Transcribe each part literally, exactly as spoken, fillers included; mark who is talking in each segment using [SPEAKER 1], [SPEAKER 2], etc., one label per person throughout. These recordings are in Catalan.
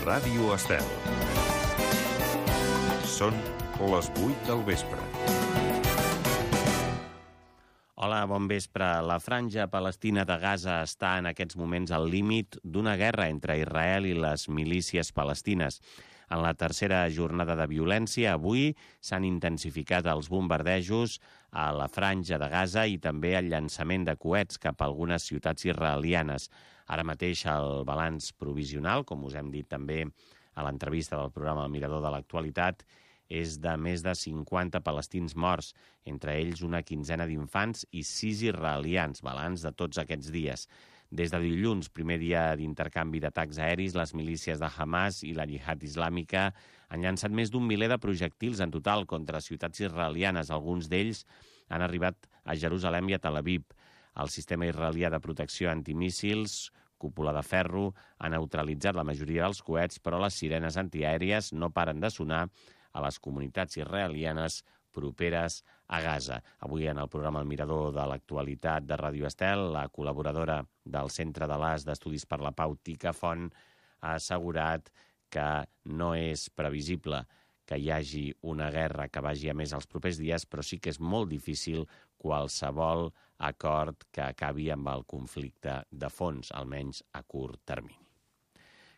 [SPEAKER 1] Ràdio Estel. Són les vuit del vespre.
[SPEAKER 2] Hola, bon vespre. La franja palestina de Gaza està en aquests moments al límit d'una guerra entre Israel i les milícies palestines. En la tercera jornada de violència, avui s'han intensificat els bombardejos a la franja de Gaza i també el llançament de coets cap a algunes ciutats israelianes. Ara mateix el balanç provisional, com us hem dit també a l'entrevista del programa El Mirador de l'Actualitat, és de més de cinquanta palestins morts, entre ells una quinzena d'infants i sis israelians, balanç de tots aquests dies. Des de dilluns, primer dia d'intercanvi d'atacs aeris, les milícies de Hamas i la Jihad Islàmica han llançat més d'un miler de projectils en total contra ciutats israelianes. Alguns d'ells han arribat a Jerusalem i a Tel Aviv. El sistema israelià de protecció antimíssils, cúpula de ferro, ha neutralitzat la majoria dels coets, però les sirenes antiaèries no paren de sonar a les comunitats israelianes properes a Gaza. Avui en el programa El Mirador de l'Actualitat de Ràdio Estel, la col·laboradora del Centre de l'A S d'Estudis per la Pau, Tica Font, ha assegurat que no és previsible que hi hagi una guerra que vagi a més els propers dies, però sí que és molt difícil qualsevol acord que acabi amb el conflicte de fons, almenys a curt termini.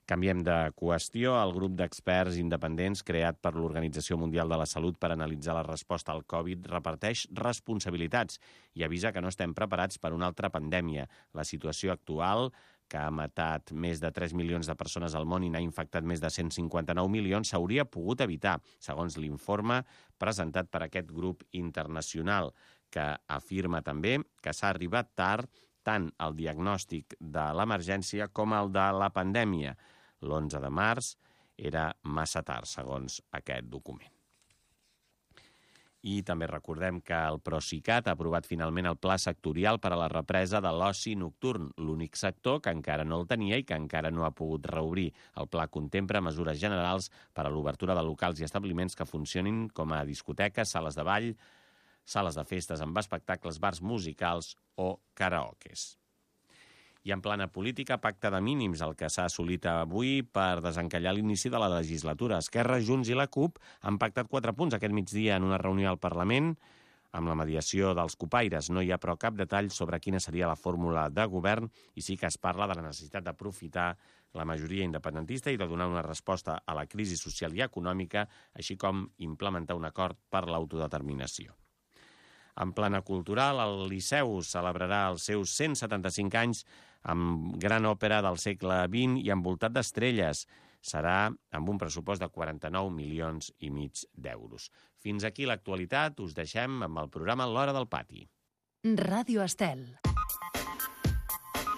[SPEAKER 2] Canviem de qüestió. El grup d'experts independents creat per l'Organització Mundial de la Salut per analitzar la resposta al Covid reparteix responsabilitats i avisa que no estem preparats per una altra pandèmia. La situació actual, que ha matat més de tres milions de persones al món i n'ha infectat més de cent cinquanta-nou milions, s'hauria pogut evitar, segons l'informe presentat per aquest grup internacional, que afirma també que s'ha arribat tard tant el diagnòstic de l'emergència com el de la pandèmia. L'onze de març era massa tard, segons aquest document. I també recordem que el Procicat ha aprovat finalment el pla sectorial per a la represa de l'oci nocturn, l'únic sector que encara no el tenia i que encara no ha pogut reobrir. El pla contempla mesures generals per a l'obertura de locals i establiments que funcionin com a discoteques, sales de ball, sales de festes amb espectacles, bars musicals o karaokes. I en plana política, pacte de mínims, el que s'ha assolit avui per desencallar l'inici de la legislatura. Esquerra, Junts i la CUP han pactat quatre punts aquest migdia en una reunió al Parlament amb la mediació dels copaires. No hi ha, però, cap detall sobre quina seria la fórmula de govern i sí que es parla de la necessitat d'aprofitar la majoria independentista i de donar una resposta a la crisi social i econòmica, així com implementar un acord per l'autodeterminació. En plana cultural, el Liceu celebrarà els seus cent setanta-cinc anys amb gran òpera del segle vint i envoltat d'estrelles. Serà amb un pressupost de quaranta-nou milions i mig d'euros. Fins aquí l'actualitat. Us deixem amb el programa L'Hora del Pati.
[SPEAKER 3] Ràdio Estel.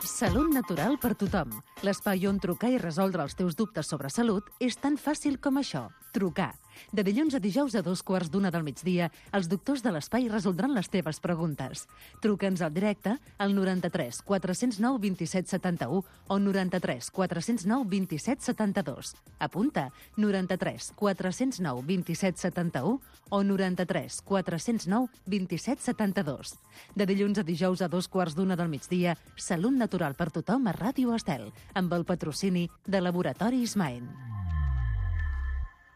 [SPEAKER 3] Salut natural per tothom. L'espai on trucar i resoldre els teus dubtes sobre salut és tan fàcil com això. Trucar. De dilluns a dijous a dos quarts d'una del migdia, els doctors de l'espai resoldran les teves preguntes. Truca'ns al directe al noranta-tres quatre zero nou vint set setanta-u o noranta-tres quatre zero nou vint set setanta-dos. Apunta, noranta-tres quatre zero nou vint set setanta-u o noranta-tres quatre zero nou vint set setanta-dos. De dilluns a dijous a dos quarts d'una del migdia, Salut natural per tothom a Ràdio Estel, amb el patrocini de Laboratori Ismael.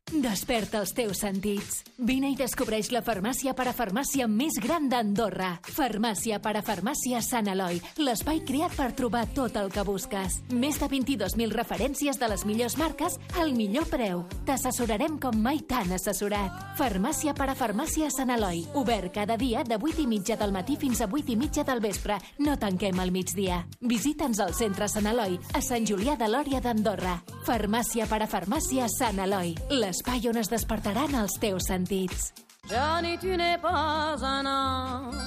[SPEAKER 4] Desperta els teus sentits. Vine i descobreix la farmàcia parafarmàcia més gran d'Andorra. Farmàcia parafarmàcia Sant Eloi, l'espai creat per trobar tot el que busques. Més de vint-i-dos mil referències de les millors marques al millor preu. T'assessorarem com mai t'han assessorat. Farmàcia parafarmàcia Sant Eloi, obert cada dia de vuit i mitja del matí fins a vuit i mitja del vespre. No tanquem al migdia. Visita'ns al centre Sant Eloi, a Sant Julià de Lòria d'Andorra. Farmàcia parafarmàcia Sant Eloi, l'espai on es despertaran els teus sentits.
[SPEAKER 5] Johnny, tu n'es pas un ange.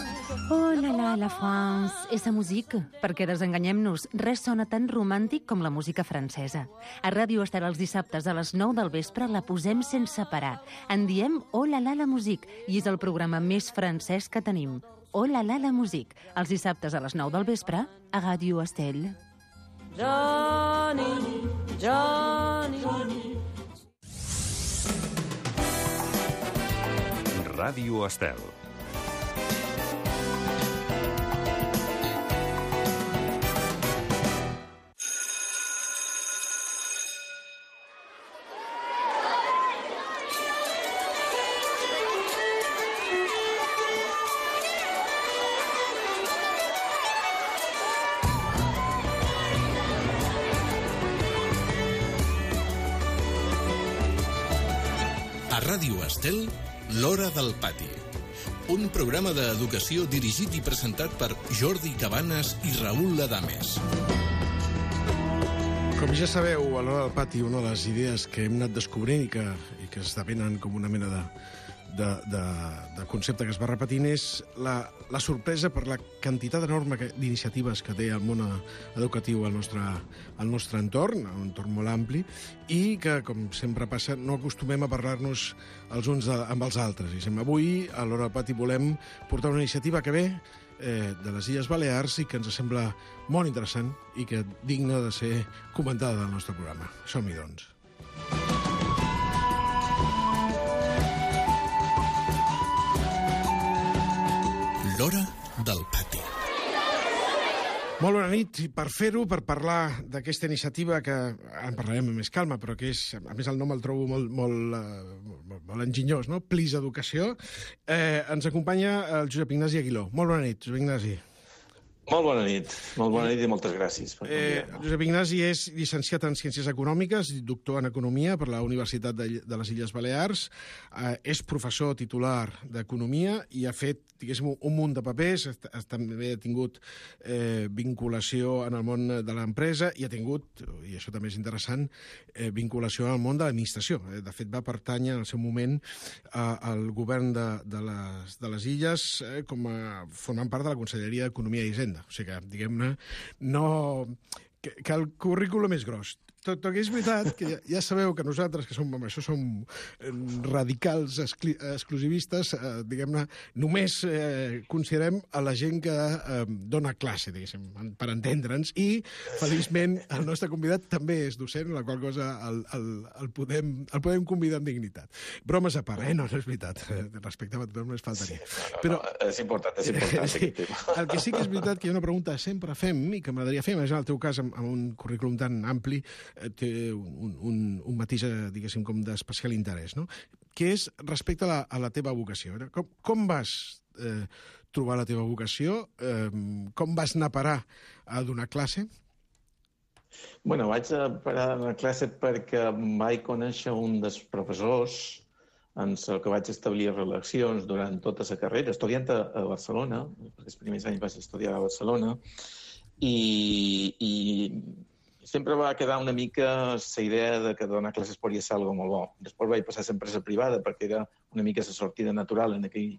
[SPEAKER 3] Oh la la, la France, esa musique. Perquè desenganyem-nos, res sona tan romàntic com la música francesa. A Ràdio Estel els dissabtes a les nou del vespre la posem sense parar. En diem Oh la la, la musique, i és el programa més francès que tenim. Oh la la, la musique, els dissabtes a les nou del vespre a Ràdio Estel.
[SPEAKER 5] Johnny, Johnny, Johnny.
[SPEAKER 1] Ràdio Estel.
[SPEAKER 6] A Ràdio Estel, L'Hora del Pati. Un programa d'educació dirigit i presentat per Jordi Cabanes i Raül Adames.
[SPEAKER 7] Com ja sabeu, a l'Hora del Pati, una de les idees que hem anat descobrint i que, i que esdevenen com una mena de, de, de, de concepte que es va repetint és la, la sorpresa per la quantitat enorme d'iniciatives que té el món educatiu al nostre, al nostre entorn, un entorn molt ampli, i que, com sempre passa, no acostumem a parlar-nos els uns de, amb els altres. I avui, a l'Hora del Pati, volem portar una iniciativa que ve eh, de les Illes Balears i que ens sembla molt interessant i que digna de ser comentada del nostre programa. Som-hi, doncs.
[SPEAKER 6] L'Hora del Pati.
[SPEAKER 7] Molt bona nit. I per fer-ho, per parlar d'aquesta iniciativa que en parlarem amb més calma, però que és, a més el nom el trobo molt, molt, molt, molt enginyós, no? Plis Educació. Eh, ens acompanya el Josep Ignasi Aguiló. Molt bona nit, Josep Ignasi.
[SPEAKER 8] Molt bona nit, molt bona nit i moltes gràcies. Per
[SPEAKER 7] eh, Josep Ignasi és llicenciat en Ciències Econòmiques i doctor en Economia per la Universitat de, de les Illes Balears. Eh, és professor titular d'Economia i ha fet, diguéssim, un munt de papers. També ha tingut eh, vinculació en el món de l'empresa i ha tingut, i això també és interessant, eh, vinculació al món de l'administració. Eh, de fet, va pertànyer en el seu moment eh, al govern de, de, les, de les Illes eh, com a formant part de la Conselleria d'Economia i Hisenda. O sigui que, diguem-ne, no... Que, que el currículum és gros. Tot, tot que és veritat que ja, ja sabeu que nosaltres, que som, amb això som radicals excli, exclusivistes, eh, diguem-ne, només eh, considerem a la gent que eh, dona classe, diguéssim, per entendre'ns, i feliçment el nostre convidat també és docent, la qual cosa el, el, el, podem, el podem convidar amb dignitat. Bromes a part, eh? No, no és veritat. Respecte a tothom només faltaria.
[SPEAKER 8] Sí, no, no,
[SPEAKER 7] Però,
[SPEAKER 8] no, és important, és important.
[SPEAKER 7] Sí, el que sí que és veritat que hi ha una pregunta que sempre fem i que m'agradaria fer, més en el teu cas, amb, amb un currículum tan ampli, té un, un, un matís, diguéssim, com d'especial interès, no? Que és respecte a la, a la teva vocació. Com, com vas eh, trobar la teva vocació? Eh, com vas anar a parar a donar classe?
[SPEAKER 8] Bueno, vaig a parar a donar classe perquè vaig conèixer un dels professors amb el que vaig establir relacions durant tota la carrera, estudiant a, a Barcelona, perquè els primers anys vaig estudiar a Barcelona, i... i sempre va quedar una mica la idea de que donar classes podria ser algo molt bo. Després vaig passar a l'empresa privada perquè era una mica la sortida natural en aquell,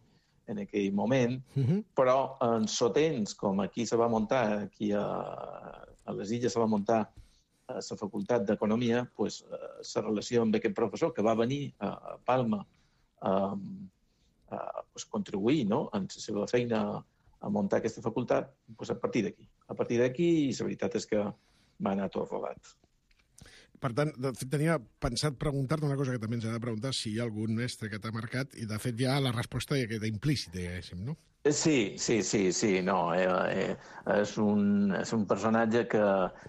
[SPEAKER 8] en aquell moment, uh-huh. Però en sotens, com aquí se va muntar, aquí a, a les Illes se va muntar a la Facultat d'Economia, pues, la relació amb aquest professor que va venir a Palma a, a pues, contribuir, no?, en la seva feina a muntar aquesta facultat, pues, a partir d'aquí. A partir d'aquí, la veritat és que va anar tot rodat.
[SPEAKER 7] Per tant, de fet, tenia pensat preguntar-te una cosa que també ens ha de preguntar, si hi ha algun mestre que t'ha marcat, i de fet ja la resposta ja queda implícita, diguéssim, no?
[SPEAKER 8] Sí, sí, sí, sí, no. Eh, eh, és, un, és un personatge que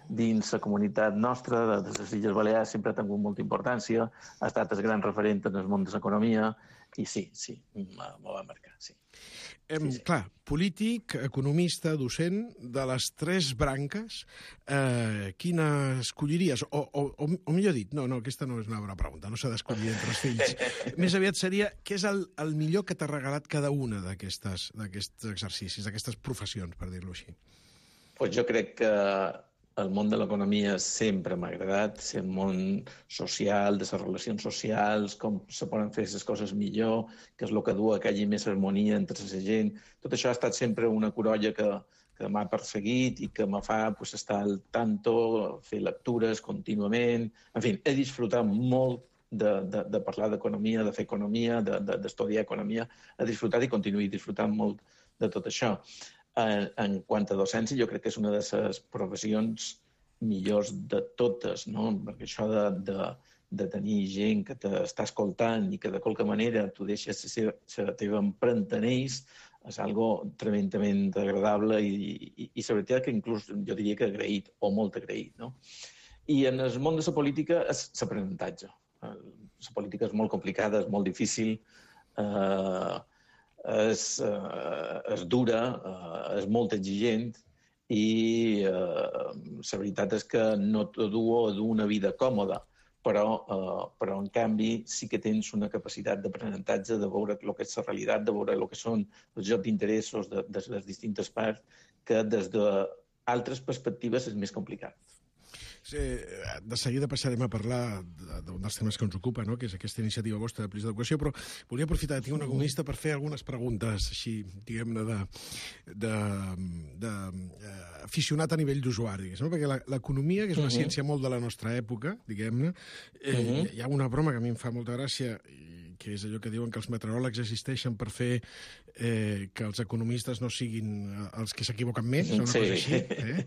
[SPEAKER 8] dins la comunitat nostra, de les Illes Balears, sempre ha tingut molta importància, ha estat el gran referent en el món de l'economia, i sí, sí, m'ho va marcar, sí.
[SPEAKER 7] Eh, sí, sí. Clar, polític, economista, docent, de les tres branques, eh, quina escolliries? O, o, o, o millor dit, no, no, aquesta no és una bona pregunta, no s'ha d'escollir entre els fills. Més aviat seria, què és el, el millor que t'ha regalat cada una d'aquests exercicis, d'aquestes professions, per dir-ho així?
[SPEAKER 8] Pues jo crec que el món de l'economia sempre m'ha agradat, ser el món social, de les relacions socials, com se poden fer les coses millor, que és el que du a que hi hagi més harmonia entre la gent. Tot això ha estat sempre una corolla que, que m'ha perseguit i que me fa pues, estar al tanto, fer lectures contínuament. En fi, he disfrutat molt de, de, de parlar d'economia, de fer economia, d'estudiar de, economia. He disfrutat i continuï disfrutant molt de tot això. En, en quant a docència, jo crec que és una de les professions millors de totes, no? Perquè això de, de, de tenir gent que t'està escoltant i que de qualque manera tu deixes la teva empremta en ells és algo tremendament agradable i, i, i la veritat que inclús jo diria que agraït, o molt agraït, no? I en el món de la política és l'aprenentatge. La política és molt complicada, és molt difícil, eh, és, eh, és dura, eh, és molt exigent i eh, la veritat és que no t'ho du a dur una vida còmoda, però, eh, però en canvi sí que tens una capacitat d'aprenentatge, de veure el que és la realitat, de veure el que són els jocs d'interessos de, de les distintes parts, que des d'altres perspectives és més complicat.
[SPEAKER 7] Sí, de seguida passarem a parlar d'un dels temes que ens ocupa, no? Que és aquesta iniciativa vostra de Plis d'Educació, però volia aprofitar que tinc una comunista per fer algunes preguntes, així, diguem-ne, de, de, de, de aficionat a nivell d'usuari, no? Perquè l'economia, que és una uh-huh. ciència molt de la nostra època, diguem-ne, eh, uh-huh. hi ha una broma que a mi em fa molta gràcia, que és allò que diuen que els meteoròlegs existeixen per fer eh, que els economistes no siguin els que s'equivoquen més, és una sí. cosa així. Eh?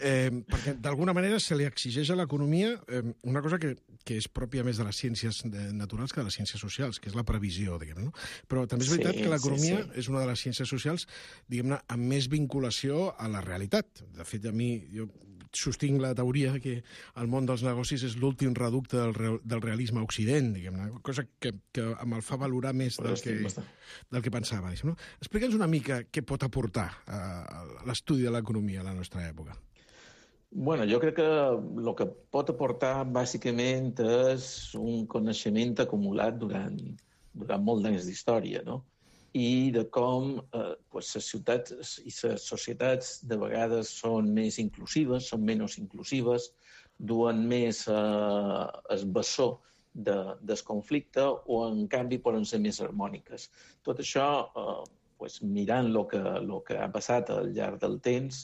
[SPEAKER 7] Eh, perquè d'alguna manera se li exigeix a l'economia eh, una cosa que, que és pròpia més de les ciències naturals que de les ciències socials, que és la previsió, diguem, no? Però també és veritat sí, que l'economia sí, sí. és una de les ciències socials, diguem-ne, amb més vinculació a la realitat. De fet, a mi, jo sostinc la teoria que el món dels negocis és l'últim reducte del, real, del realisme a Occident, diguem-ne, cosa que, que me'l fa valorar més del que, del que pensava. No? Explica'ns una mica què pot aportar a l'estudi de l'economia a la nostra època.
[SPEAKER 8] Bueno, jo crec que el que pot aportar bàsicament és un coneixement acumulat durant, durant molt d'anys d'història, no? I de com eh, pues, les ciutats i les societats de vegades són més inclusives, són menys inclusives, duen més eh, el bessó de, del conflicte o, en canvi, poden ser més harmòniques. Tot això, eh, pues, mirant el que, lo que ha passat al llarg del temps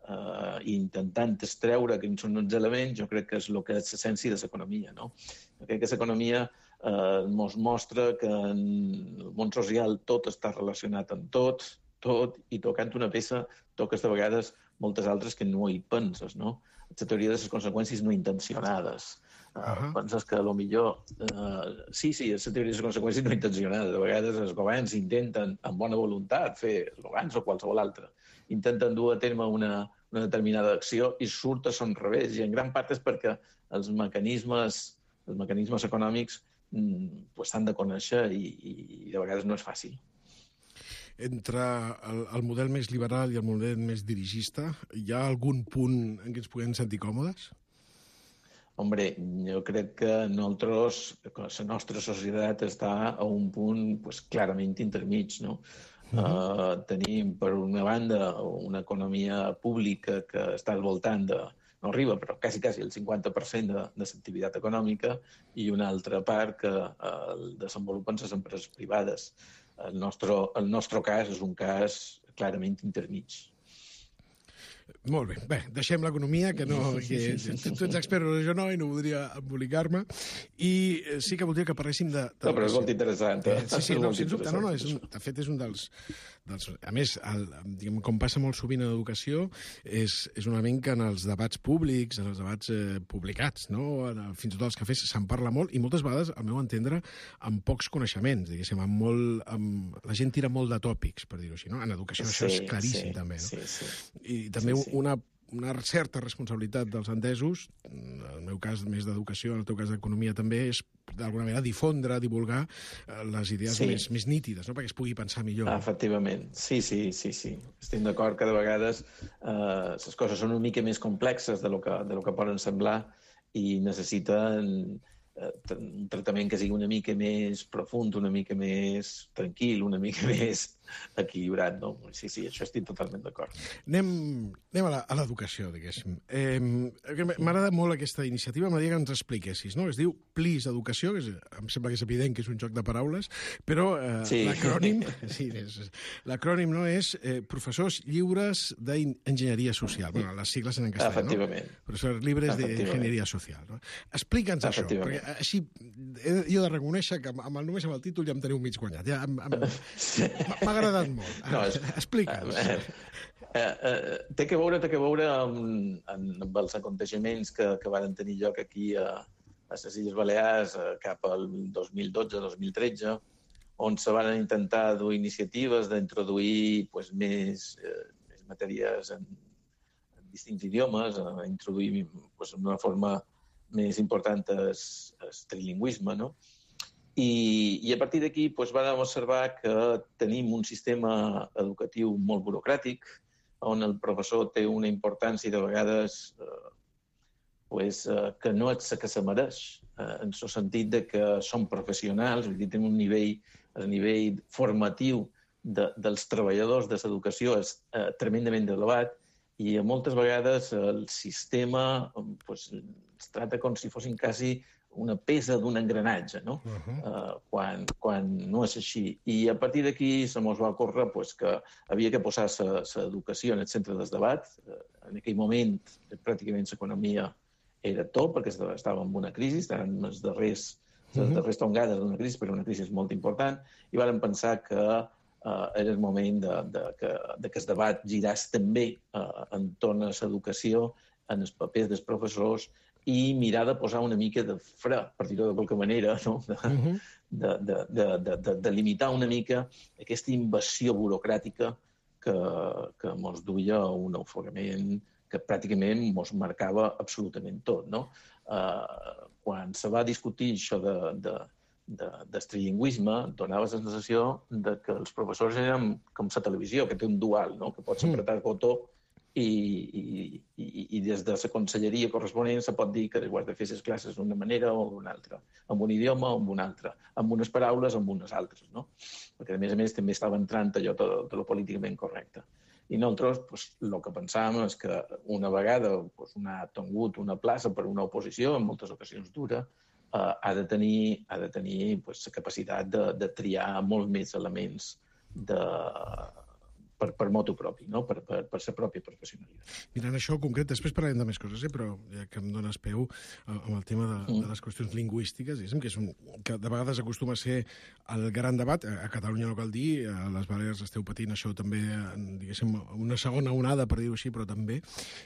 [SPEAKER 8] eh, i intentant extreure quins són els elements, jo crec que és el que és l'essència de l'economia, no? Jo crec que l'economia ens eh, mostra que en el món social tot està relacionat amb tot, tot, i tocant una peça toques de vegades moltes altres que no hi penses, no? La teoria de les conseqüències no intencionades. Uh -huh. uh, penses que potser... Uh, sí, sí, és la teoria de les conseqüències no intencionades. De vegades els governs intenten, amb bona voluntat, fer els governs o qualsevol altre, intenten dur a terme una, una determinada acció i surt a son revés. I en gran part és perquè els mecanismes, els mecanismes econòmics pues, s'han de conèixer i, i de vegades no és fàcil.
[SPEAKER 7] Entre el, el model més liberal i el model més dirigista, hi ha algun punt en què ens puguem sentir còmodes?
[SPEAKER 8] Hombre, jo crec que nosaltres, la nostra societat està a un punt pues, clarament intermig, no? Uh-huh. Uh, tenim, per una banda, una economia pública que està al voltant de no arriba, però quasi, quasi el cinquanta per cent de, de l'activitat econòmica i una altra part que eh, el desenvolupen les empreses privades. El nostre, el nostre cas és un cas clarament intermig.
[SPEAKER 7] Molt bé. Bé, deixem l'economia, que no... Que, tu ets expert, jo no, i no voldria embolicar-me. I sí que voldria que parléssim de... de
[SPEAKER 8] no, però és molt interessant. Eh?
[SPEAKER 7] Sí, sí, no, sens dubte. No, no, és un, de fet, és un dels... dels a més, el, diguem, com passa molt sovint en l'educació, és, és un element que en els debats públics, en els debats eh, publicats, no? En, fins i tot els cafès, se'n parla molt, i moltes vegades, al meu entendre, amb pocs coneixements, diguéssim, amb molt... Amb... La gent tira molt de tòpics, per dir-ho així, no? En educació sí, això és claríssim, sí, també, no?
[SPEAKER 8] Sí, sí.
[SPEAKER 7] I també sí, sí. una una certa responsabilitat dels entesos, en el meu cas més d'educació, en el teu cas d'economia també, és d'alguna manera difondre, divulgar les idees sí. més, més nítides, no? Perquè es pugui pensar millor.
[SPEAKER 8] Efectivament, sí, sí, sí, sí. Estic d'acord que de vegades eh, les coses són una mica més complexes de lo que, de lo que poden semblar i necessiten un tractament que sigui una mica més profund, una mica més tranquil, una mica més equilibrat, no? Sí, sí, això estic totalment d'acord.
[SPEAKER 7] Anem, anem a l'educació, diguéssim. Eh, M'agrada molt aquesta iniciativa, m'agradaria que ens expliquessis, no? Es diu Plis Educació, que és, em sembla que és evident que és un joc de paraules, però eh, sí. l'acrònim sí, l'acrònim no és eh, Professors Lliures d'Enginyeria Social. Bueno, les sigles en castellà,
[SPEAKER 8] efectivament.
[SPEAKER 7] No? Professors Lliures d'Enginyeria Social. No? Explica'ns això, perquè així jo he de reconèixer que amb el, només amb el títol ja em teniu mig guanyat. Ja, m'ha agradat molt. No, és, Explica'ns.
[SPEAKER 8] Eh, eh, eh, té que veure, té que veure amb, amb els aconteixements que, que van tenir lloc aquí a, a les Illes Balears eh, cap al dos mil dotze dos mil tretze, on se van intentar dur iniciatives d'introduir pues, més, eh, més matèries en, en distints idiomes, a introduir pues, d'una forma més important el trilingüisme, no? I, i a partir d'aquí doncs, vam observar que tenim un sistema educatiu molt burocràtic, on el professor té una importància de vegades eh, pues, eh, que no és la que se mereix. en el sentit de que som professionals, vull dir, tenim un nivell, el nivell formatiu de, dels treballadors de l'educació és eh, tremendament elevat i moltes vegades el sistema pues, es tracta com si fossin quasi una peça d'un engranatge, no? Uh-huh. uh, quan, quan no és així. I a partir d'aquí se mos va ocórrer pues, que havia que posar l'educació en el centre del debat. Uh, en aquell moment, pràcticament l'economia era tot, perquè estava en una crisi, estaven les darrers, les uh-huh. darrers tongades d'una crisi, però una crisi molt important, i vàrem pensar que uh, era el moment de, de, que, de que el debat giràs també uh, entorn a l'educació, en els papers dels professors, i mirar de posar una mica de fre, per dir-ho de qualque manera, no? de, uh-huh. de, de, de, de, de, de limitar una mica aquesta invasió burocràtica que, que mos duia a un ofegament que pràcticament mos marcava absolutament tot. No? Uh, quan se va discutir això de, de, de, del trilingüisme, donava la sensació de que els professors eren com la televisió, que té un dual, no? Que pots apretar el botó I, i, i, i des de la conselleria corresponent se pot dir que ho has de fer les classes d'una manera o d'una altra, amb un idioma o amb un altre, amb unes paraules o amb unes altres, no? Perquè, a més a més, també estava entrant allò de, de lo políticament correcte. I nosaltres, pues, el que pensàvem és que una vegada pues, una ha tingut una plaça per una oposició, en moltes ocasions dura, eh, ha de tenir, ha de tenir pues, la capacitat de, de triar molt més elements de... Per, per motu propi, no? per, per, per la pròpia professionalitat.
[SPEAKER 7] Mirant això concret, després parlarem de més coses, eh? Però ja que em dones peu amb el tema de, mm. de les qüestions lingüístiques, diguéssim, que, és un, que de vegades acostuma a ser el gran debat. A Catalunya no cal dir, a les Balears esteu patint això també, diguéssim, una segona onada, per dir-ho així, però també.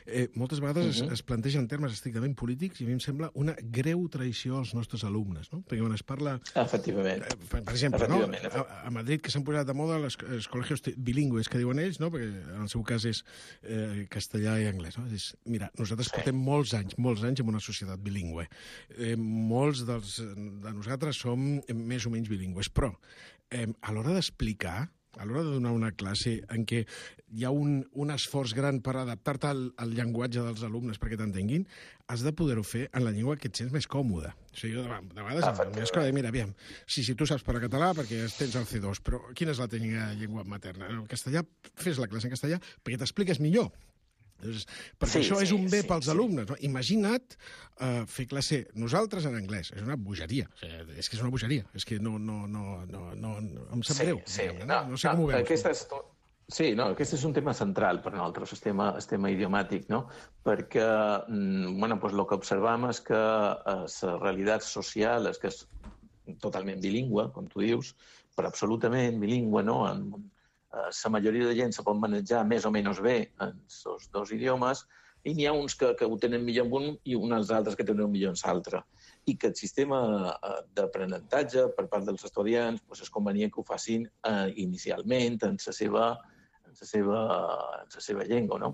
[SPEAKER 7] Eh, moltes vegades mm -hmm. es, es plantegen termes estrictament polítics i a mi em sembla una greu traïció als nostres alumnes, no? Perquè quan es parla...
[SPEAKER 8] Efectivament.
[SPEAKER 7] Eh, per, per exemple, Efectivament, no? a, a Madrid, que s'han posat de moda les, els col·legios bilingües, que diuen ells, no? Perquè en el seu cas és eh, castellà i anglès. No? És, mira, nosaltres sí. portem molts anys, molts anys en una societat bilingüe. Eh, molts dels, de nosaltres som més o menys bilingües, però eh, a l'hora d'explicar, a l'hora de donar una classe en què hi ha un, un esforç gran per adaptar-te al, al llenguatge dels alumnes perquè t'entenguin, has de poder-ho fer en la llengua que et sents més còmode. O sigui, jo de, de vegades ah, em escola de, mira, aviam, sí, sí, tu saps parlar català perquè tens el C dos, però quina és la teva llengua materna? En castellà, fes la classe en castellà perquè t'expliques millor. Llavors, perquè sí, això sí, és un bé sí, pels sí. alumnes. No? Imagina't uh, fer classe nosaltres en anglès. És una bogeria. O sigui, és que és una bogeria. És que no, no, no, no, no em sap
[SPEAKER 8] sí,
[SPEAKER 7] greu.
[SPEAKER 8] Sí,
[SPEAKER 7] no,
[SPEAKER 8] no,
[SPEAKER 7] no sé
[SPEAKER 8] no,
[SPEAKER 7] com ho veus.
[SPEAKER 8] Aquesta és... Sí, no, aquest és un tema central per nosaltres, el tema, el tema idiomàtic, no? Perquè bueno, pues el que observam és que la realitat social és que és totalment bilingüe, com tu dius, però absolutament bilingüe, no? En, la majoria de gent se pot manejar més o menys bé en els dos idiomes i n'hi ha uns que, que ho tenen millor en un i uns altres que tenen millor en l'altre. I que el sistema d'aprenentatge per part dels estudiants pues, és convenient que ho facin eh, inicialment en la seva en la seva, en la seva llengua, no?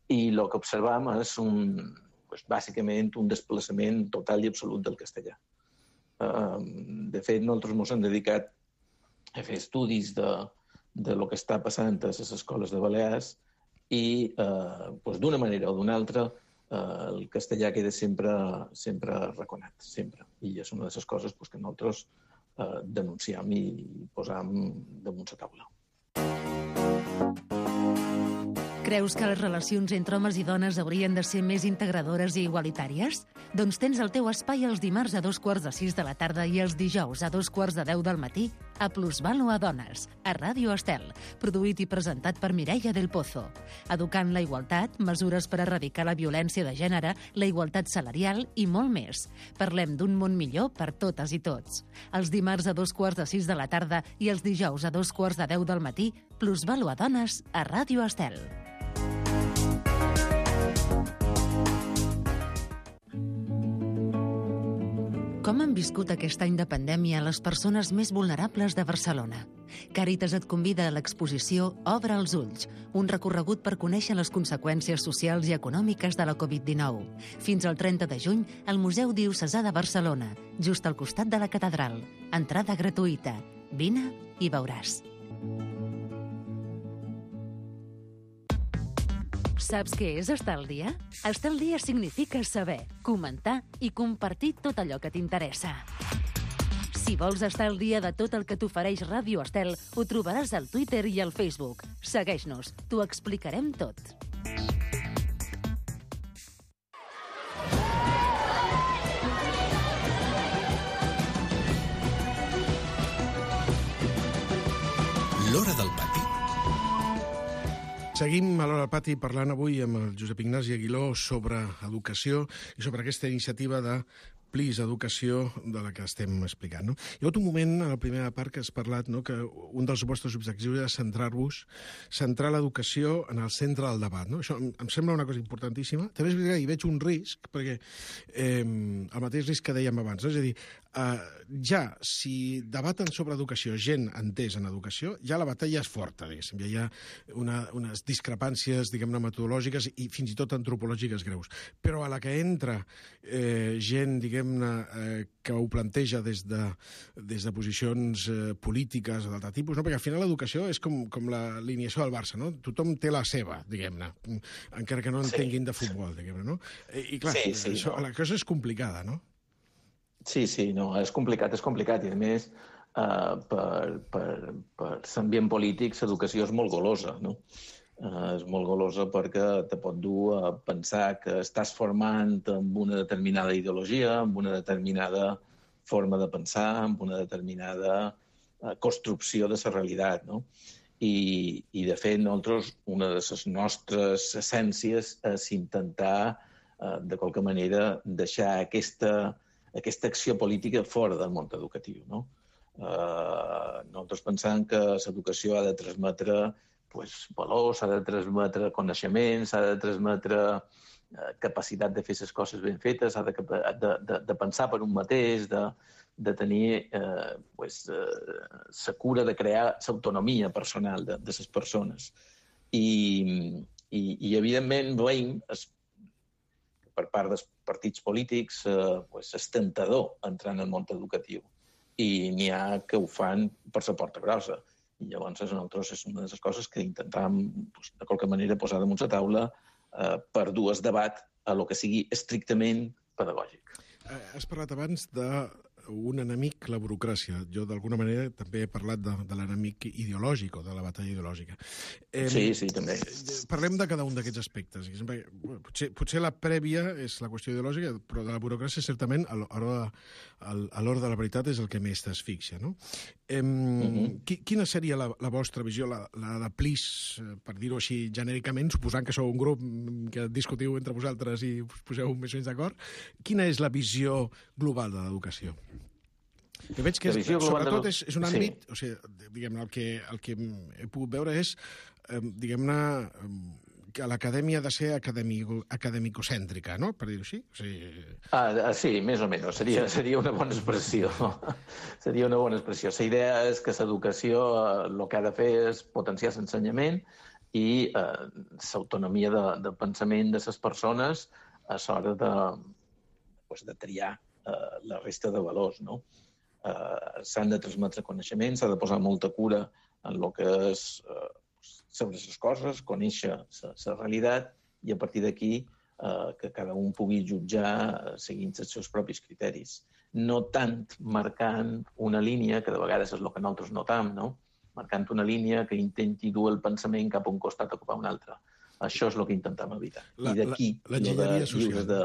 [SPEAKER 8] I el que observam és un, pues, bàsicament un desplaçament total i absolut del castellà. Uh, de fet, nosaltres ens hem dedicat a fer estudis de, de lo que està passant a les escoles de Balears i, uh, pues, d'una manera o d'una altra, uh, el castellà queda sempre, sempre reconat, sempre. I és una de les coses pues, que nosaltres uh, denunciem i posam damunt la taula.
[SPEAKER 3] Creus que les relacions entre homes i dones haurien de ser més integradores i igualitàries? Doncs tens el teu espai els dimarts a dos quarts de sis de la tarda i els dijous a dos quarts de deu del matí a Plusvalo a Dones, a Ràdio Estel, produït i presentat per Mireia del Pozo. Educant la igualtat, mesures per erradicar la violència de gènere, la igualtat salarial i molt més. Parlem d'un món millor per totes i tots. Els dimarts a dos quarts de sis de la tarda i els dijous a dos quarts de deu del matí, Plusvalo a Dones, a Ràdio Estel. Com han viscut aquest any de pandèmia les persones més vulnerables de Barcelona? Càritas et convida a l'exposició Obre els ulls, un recorregut per conèixer les conseqüències socials i econòmiques de la covid dinou. Fins al trenta de juny, al Museu Diocesà de Barcelona, just al costat de la catedral. Entrada gratuïta. Vine i veuràs. Saps què és estar al dia? Estar al dia significa saber, comentar i compartir tot allò que t'interessa. Si vols estar al dia de tot el que t'ofereix Ràdio Estel, ho trobaràs al Twitter i al Facebook. Segueix-nos, t'ho explicarem tot.
[SPEAKER 6] L'Hora del Pati.
[SPEAKER 7] Seguim a l'Hora del Pati parlant avui amb el Josep Ignasi Aguiló sobre educació i sobre aquesta iniciativa de Plis Educació de la que estem explicant. No? Hi ha hagut un moment, a la primera part, que has parlat, no? que un dels vostres objectius era centrar-vos, centrar l'educació en el centre del debat. No? Això em, em sembla una cosa importantíssima. També és veritat que hi veig un risc, perquè eh, el mateix risc que dèiem abans, no? És a dir, eh, ja, si debaten sobre educació gent entès en educació, ja la batalla és forta, diguéssim. Ja hi ha una, unes discrepàncies, diguem-ne, metodològiques i fins i tot antropològiques greus. Però a la que entra eh, gent, diguem Eh, que ho planteja des de, des de posicions eh, polítiques o d'altre tipus, no? Perquè al final l'educació és com, com l'alineació del Barça, no? Tothom té la seva, diguem-ne, encara que no entenguin sí. de futbol, diguem-ne, no? I, i clar, sí, sí, això, no. la cosa és complicada, no?
[SPEAKER 8] Sí, sí, no, és complicat, és complicat, i a més, eh, per, per, per l'ambient polític, l'educació és molt golosa, no? Uh, és molt golosa perquè te pot dur a pensar que estàs formant amb una determinada ideologia, amb una determinada forma de pensar, amb una determinada uh, construcció de la realitat, no? I, i de fet, nosaltres, una de les nostres essències és intentar, uh, de qualque manera, deixar aquesta, aquesta acció política fora del món educatiu, no? Uh, nosaltres pensem que l'educació ha de transmetre pues, valors, s'ha de transmetre coneixements, s'ha de transmetre eh, capacitat de fer les coses ben fetes, s'ha de, de, de, de pensar per un mateix, de, de tenir eh, pues, eh, la cura de crear l'autonomia personal de, de les persones. I, i, i evidentment, veiem, es, per part dels partits polítics, eh, pues, és tentador entrar en el món educatiu. I n'hi ha que ho fan per la porta grossa. I llavors nosaltres és una de les coses que intentàvem doncs, de qualque manera posar damunt la taula eh, per dur el debat a lo que sigui estrictament pedagògic.
[SPEAKER 7] Has parlat abans d'un enemic, la burocràcia. Jo, d'alguna manera, també he parlat de, de l'enemic ideològic o de la batalla ideològica. Eh,
[SPEAKER 8] sí, sí, també.
[SPEAKER 7] Parlem de cada un d'aquests aspectes. Potser, potser la prèvia és la qüestió ideològica, però de la burocràcia, certament, a l'hora de la veritat és el que més t'asfixia, no? Eh, uh-huh. Quina seria la, la vostra visió, la, la de Plis, per dir-ho així genèricament, suposant que sou un grup que discutiu entre vosaltres i us poseu més o menys d'acord, quina és la visió global de l'educació? Jo veig que, és, sobretot, és, és un àmbit... Sí. O sigui, diguem-ne, el que, el que he pogut veure és, eh, diguem-ne, que l'acadèmia ha de ser acadèmico, acadèmicocèntrica, no?, per dir-ho així. O sigui...
[SPEAKER 8] ah, sí, més o menys. Seria, seria una bona expressió. Seria una bona expressió. La idea és que l'educació el que ha de fer és potenciar l'ensenyament i eh, l'autonomia de, de pensament de les persones a l'hora de, pues, de triar eh, la resta de valors, no? Eh, s'han de transmetre coneixements, s'ha de posar molta cura en el que és eh, sobre les coses, conèixer la realitat i a partir d'aquí eh, que cada un pugui jutjar seguint els seus propis criteris. No tant marcant una línia, que de vegades és el que nosaltres notam, no? Marcant una línia que intenti dur el pensament cap a un costat o cap a un altre. Això és el que intentem evitar.
[SPEAKER 7] La,
[SPEAKER 8] I d'aquí,
[SPEAKER 7] l'enginyeria social.
[SPEAKER 8] De,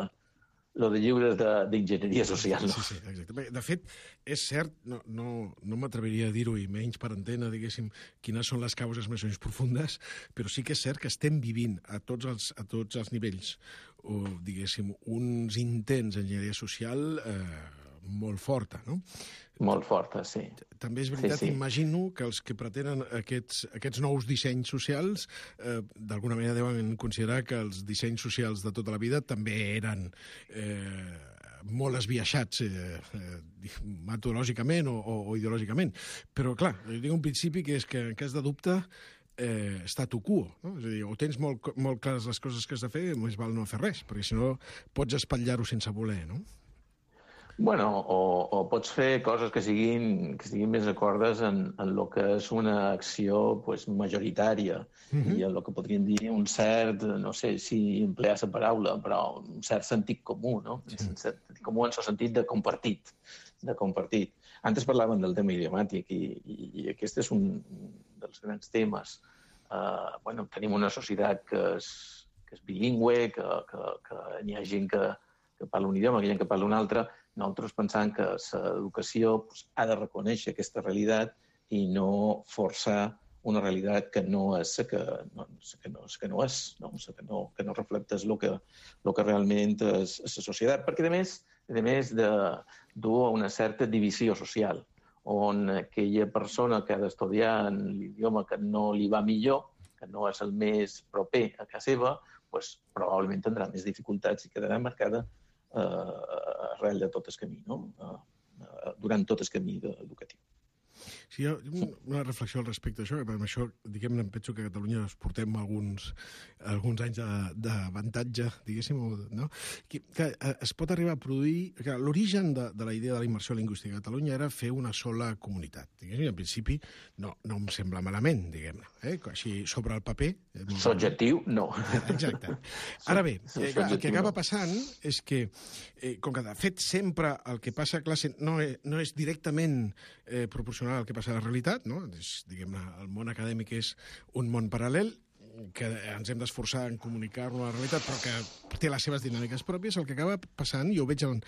[SPEAKER 8] lo de lliures d'enginyeria social. No?
[SPEAKER 7] Sí, sí, exacte. De fet, és cert, no, no, no m'atreviria a dir-ho, i menys per antena, diguéssim, quines són les causes més o menys profundes, però sí que és cert que estem vivint a tots els, a tots els nivells, o, diguéssim, uns intents d'enginyeria social eh, molt forta, no?
[SPEAKER 8] Molt forta, sí.
[SPEAKER 7] També és veritat,
[SPEAKER 8] sí, sí.
[SPEAKER 7] Imagino que els que pretenen aquests, aquests nous dissenys socials eh, d'alguna manera deuen considerar que els dissenys socials de tota la vida també eren eh, molt esbiaixats eh, eh, metodològicament o, o, o ideològicament. Però, clar, jo dic un principi que és que en cas de dubte eh, statu quo, no? És a dir, o tens molt, molt clares les coses que has de fer, més val no fer res, perquè si no pots espatllar-ho sense voler, no?
[SPEAKER 8] Bueno, o, o pots fer coses que siguin, que siguin més acordes en, en el que és una acció pues, majoritària mm-hmm. i en el que podríem dir un cert, no sé si emplear la paraula, però un cert sentit comú, no? Sí. Un sentit comú en el sentit de compartit, de compartit. Antes parlaven del tema idiomàtic i, i, i aquest és un dels grans temes. Uh, bueno, tenim una societat que és, que és bilingüe, que, que, que n'hi ha gent que, que parla un idioma, que hi ha gent que parla un altre. Nosaltres pensam que l'educació pues, ha de reconèixer aquesta realitat i no forçar una realitat que no és la que no, que no, que no és, no? Que, no, que no reflecteix el que, el que realment és, és la societat. Perquè, a més, a més de dur a una certa divisió social, on aquella persona que ha d'estudiar en l'idioma que no li va millor, que no és el més proper a casa seva, pues, probablement tindrà més dificultats i quedarà marcada eh, arrel de tot el camí, no? eh, durant tot el camí educatiu.
[SPEAKER 7] Sí, jo, una reflexió al respecte d'això, que amb això, diguem-ne, em penso que a Catalunya es portem alguns, alguns anys d'avantatge, diguéssim, no? Que, que es pot arribar a produir... Que l'origen de, de la idea de la immersió lingüística a Catalunya era fer una sola comunitat. Diguéssim, en principi no, no em sembla malament, diguem-ne. Eh? Així, sobre el paper...
[SPEAKER 8] Subjectiu, no.
[SPEAKER 7] Exacte. Ara bé, eh, clar, el que acaba passant és que, eh, com que de fet sempre el que passa a classe no és, no és directament eh, proporcional al que passa a la realitat, no? És, diguem-ne, el món acadèmic és un món paral·lel que ens hem d'esforçar en comunicar-lo a la realitat, però que té les seves dinàmiques pròpies. El que acaba passant, jo ho veig en,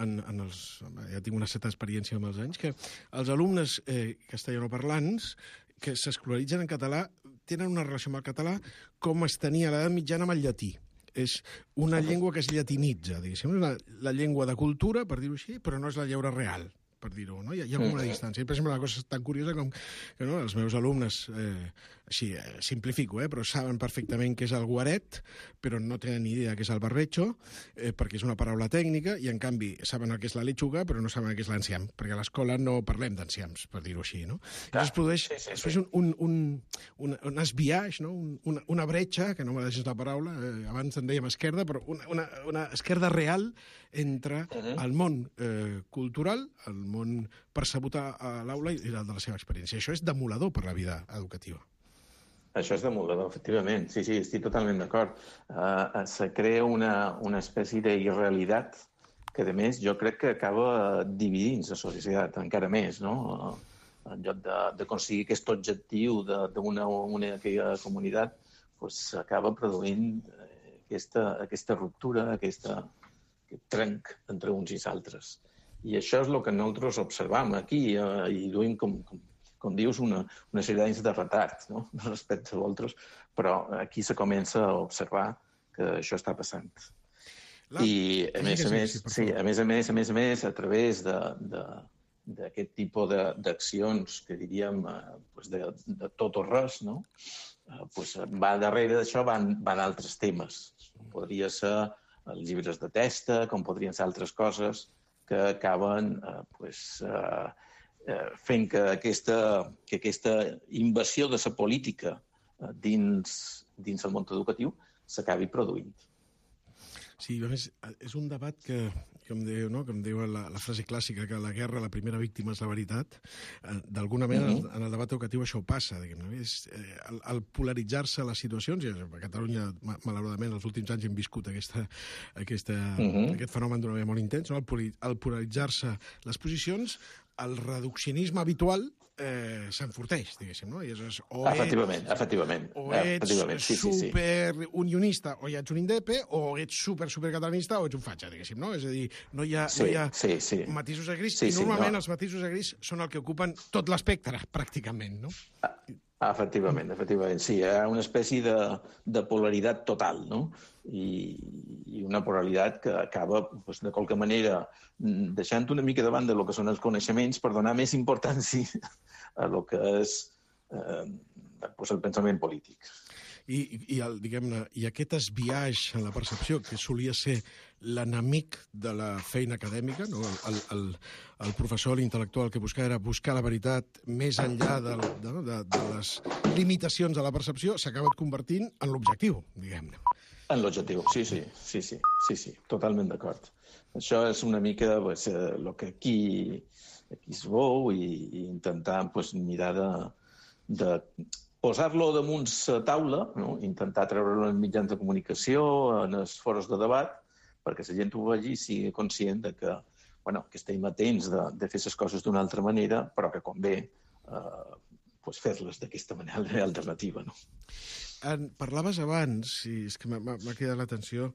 [SPEAKER 7] en, en els... Ja tinc una certa experiència amb els anys, que els alumnes eh, castellanoparlants que s'escolaritzen en català tenen una relació amb el català com es tenia a l'edat mitjana amb el llatí. És una llengua que es llatinitza, diguéssim, la, la llengua de cultura, per dir-ho així, però no és la llengua real, per dir-ho, no? Hi ha, hi ha com una distància. I, per exemple, una cosa tan curiosa com que no, els meus alumnes, eh, així, eh, simplifico, eh, però saben perfectament què és el guaret, però no tenen ni idea què és el barbecho, eh, perquè és una paraula tècnica, i, en canvi, saben el que és la lechuga, però no saben el que és l'enciam, perquè a l'escola no parlem d'enciams, per dir-ho així, no? I es produeix, sí, sí, sí. es produeix un, un, un, un esbiaix, no? un, una, una bretxa, que no me deixes la paraula, eh, abans en dèiem esquerda, però una, una, una esquerda real entre uh-huh. el món eh, cultural, el món percebut a, a l'aula i el de la seva experiència. Això és demoledor per la vida educativa.
[SPEAKER 8] Això és demoledor, efectivament. Sí, sí, estic totalment d'acord. Uh, se crea una, una espècie d'irrealitat que, a més, jo crec que acaba dividint la societat encara més, no? Uh, en lloc d'aconseguir aquest objectiu d'una única comunitat, pues, acaba produint aquesta, aquesta ruptura, aquesta, aquest trenc entre uns i altres. I això és el que nosaltres observam aquí, eh, i duim, com, com, com dius, una, una sèrie d'anys de retard, no? Respecte a vosaltres, però aquí se comença a observar que això està passant. La... I, a més a més, sí, a més a més, a més a més, a través d'aquest tipus d'accions, que diríem, eh, pues de, de tot o res, no? Eh, pues va darrere d'això van, van altres temes. Podria ser els llibres de testa, com podrien ser altres coses, que acaben eh, pues, eh, eh, fent que aquesta, que aquesta invasió de la política eh, dins, dins el món educatiu s'acabi produint.
[SPEAKER 7] Sí, a més, és un debat que, com diu, no? com diu la, la frase clàssica, que la guerra, la primera víctima és la veritat. Eh, D'alguna manera, mm-hmm. en el debat educatiu això passa. Diguem-ne. És, eh, el, el polaritzar-se les situacions, i a Catalunya, malauradament, els últims anys hem viscut aquesta, aquesta, mm-hmm. aquest fenomen d'una manera molt intens, no? el, el polaritzar-se les posicions, el reduccionisme habitual eh, s'enforteix, diguéssim, no? I és, o
[SPEAKER 8] efectivament,
[SPEAKER 7] ets,
[SPEAKER 8] efectivament.
[SPEAKER 7] O ets
[SPEAKER 8] efectivament. Sí,
[SPEAKER 7] superunionista, sí, sí. o ja ets un indepe, o ets super, supercatalanista, o ets un fatxa, diguéssim, no? És a dir, no hi ha,
[SPEAKER 8] sí,
[SPEAKER 7] no hi ha
[SPEAKER 8] sí, sí.
[SPEAKER 7] matisos de gris,
[SPEAKER 8] sí,
[SPEAKER 7] i normalment
[SPEAKER 8] sí, no.
[SPEAKER 7] els matisos de gris són el que ocupen tot l'espectre, pràcticament, no?
[SPEAKER 8] Ah. Efectivament, efectivament, sí. Hi ha una espècie de, de polaritat total, no? I, i una polaritat que acaba, doncs, de qualque manera, deixant una mica de banda el que són els coneixements per donar més importància a el que és eh, doncs, el pensament polític.
[SPEAKER 7] I, i, el, diguem-ne, i aquest esbiaix en la percepció, que solia ser l'enemic de la feina acadèmica, no? el, el, el professor, l'intel·lectual, que buscava era buscar la veritat més enllà de, de, de, de les limitacions de la percepció, s'ha acabat convertint en l'objectiu, diguem-ne.
[SPEAKER 8] En l'objectiu, sí, sí, sí, sí, sí, sí, totalment d'acord. Això és una mica pues, el que aquí, aquí es veu i, i intentar pues, mirar de, de posar-lo damunt la taula, no? Intentar treure-lo en mitjans de comunicació, en els foros de debat, perquè la gent ho vegi i sigui conscient de que, bueno, que estem atents de, de fer les coses d'una altra manera, però que convé eh, pues, fer-les d'aquesta manera alternativa, no?
[SPEAKER 7] En, parlaves abans, i és que m'ha cridat l'atenció,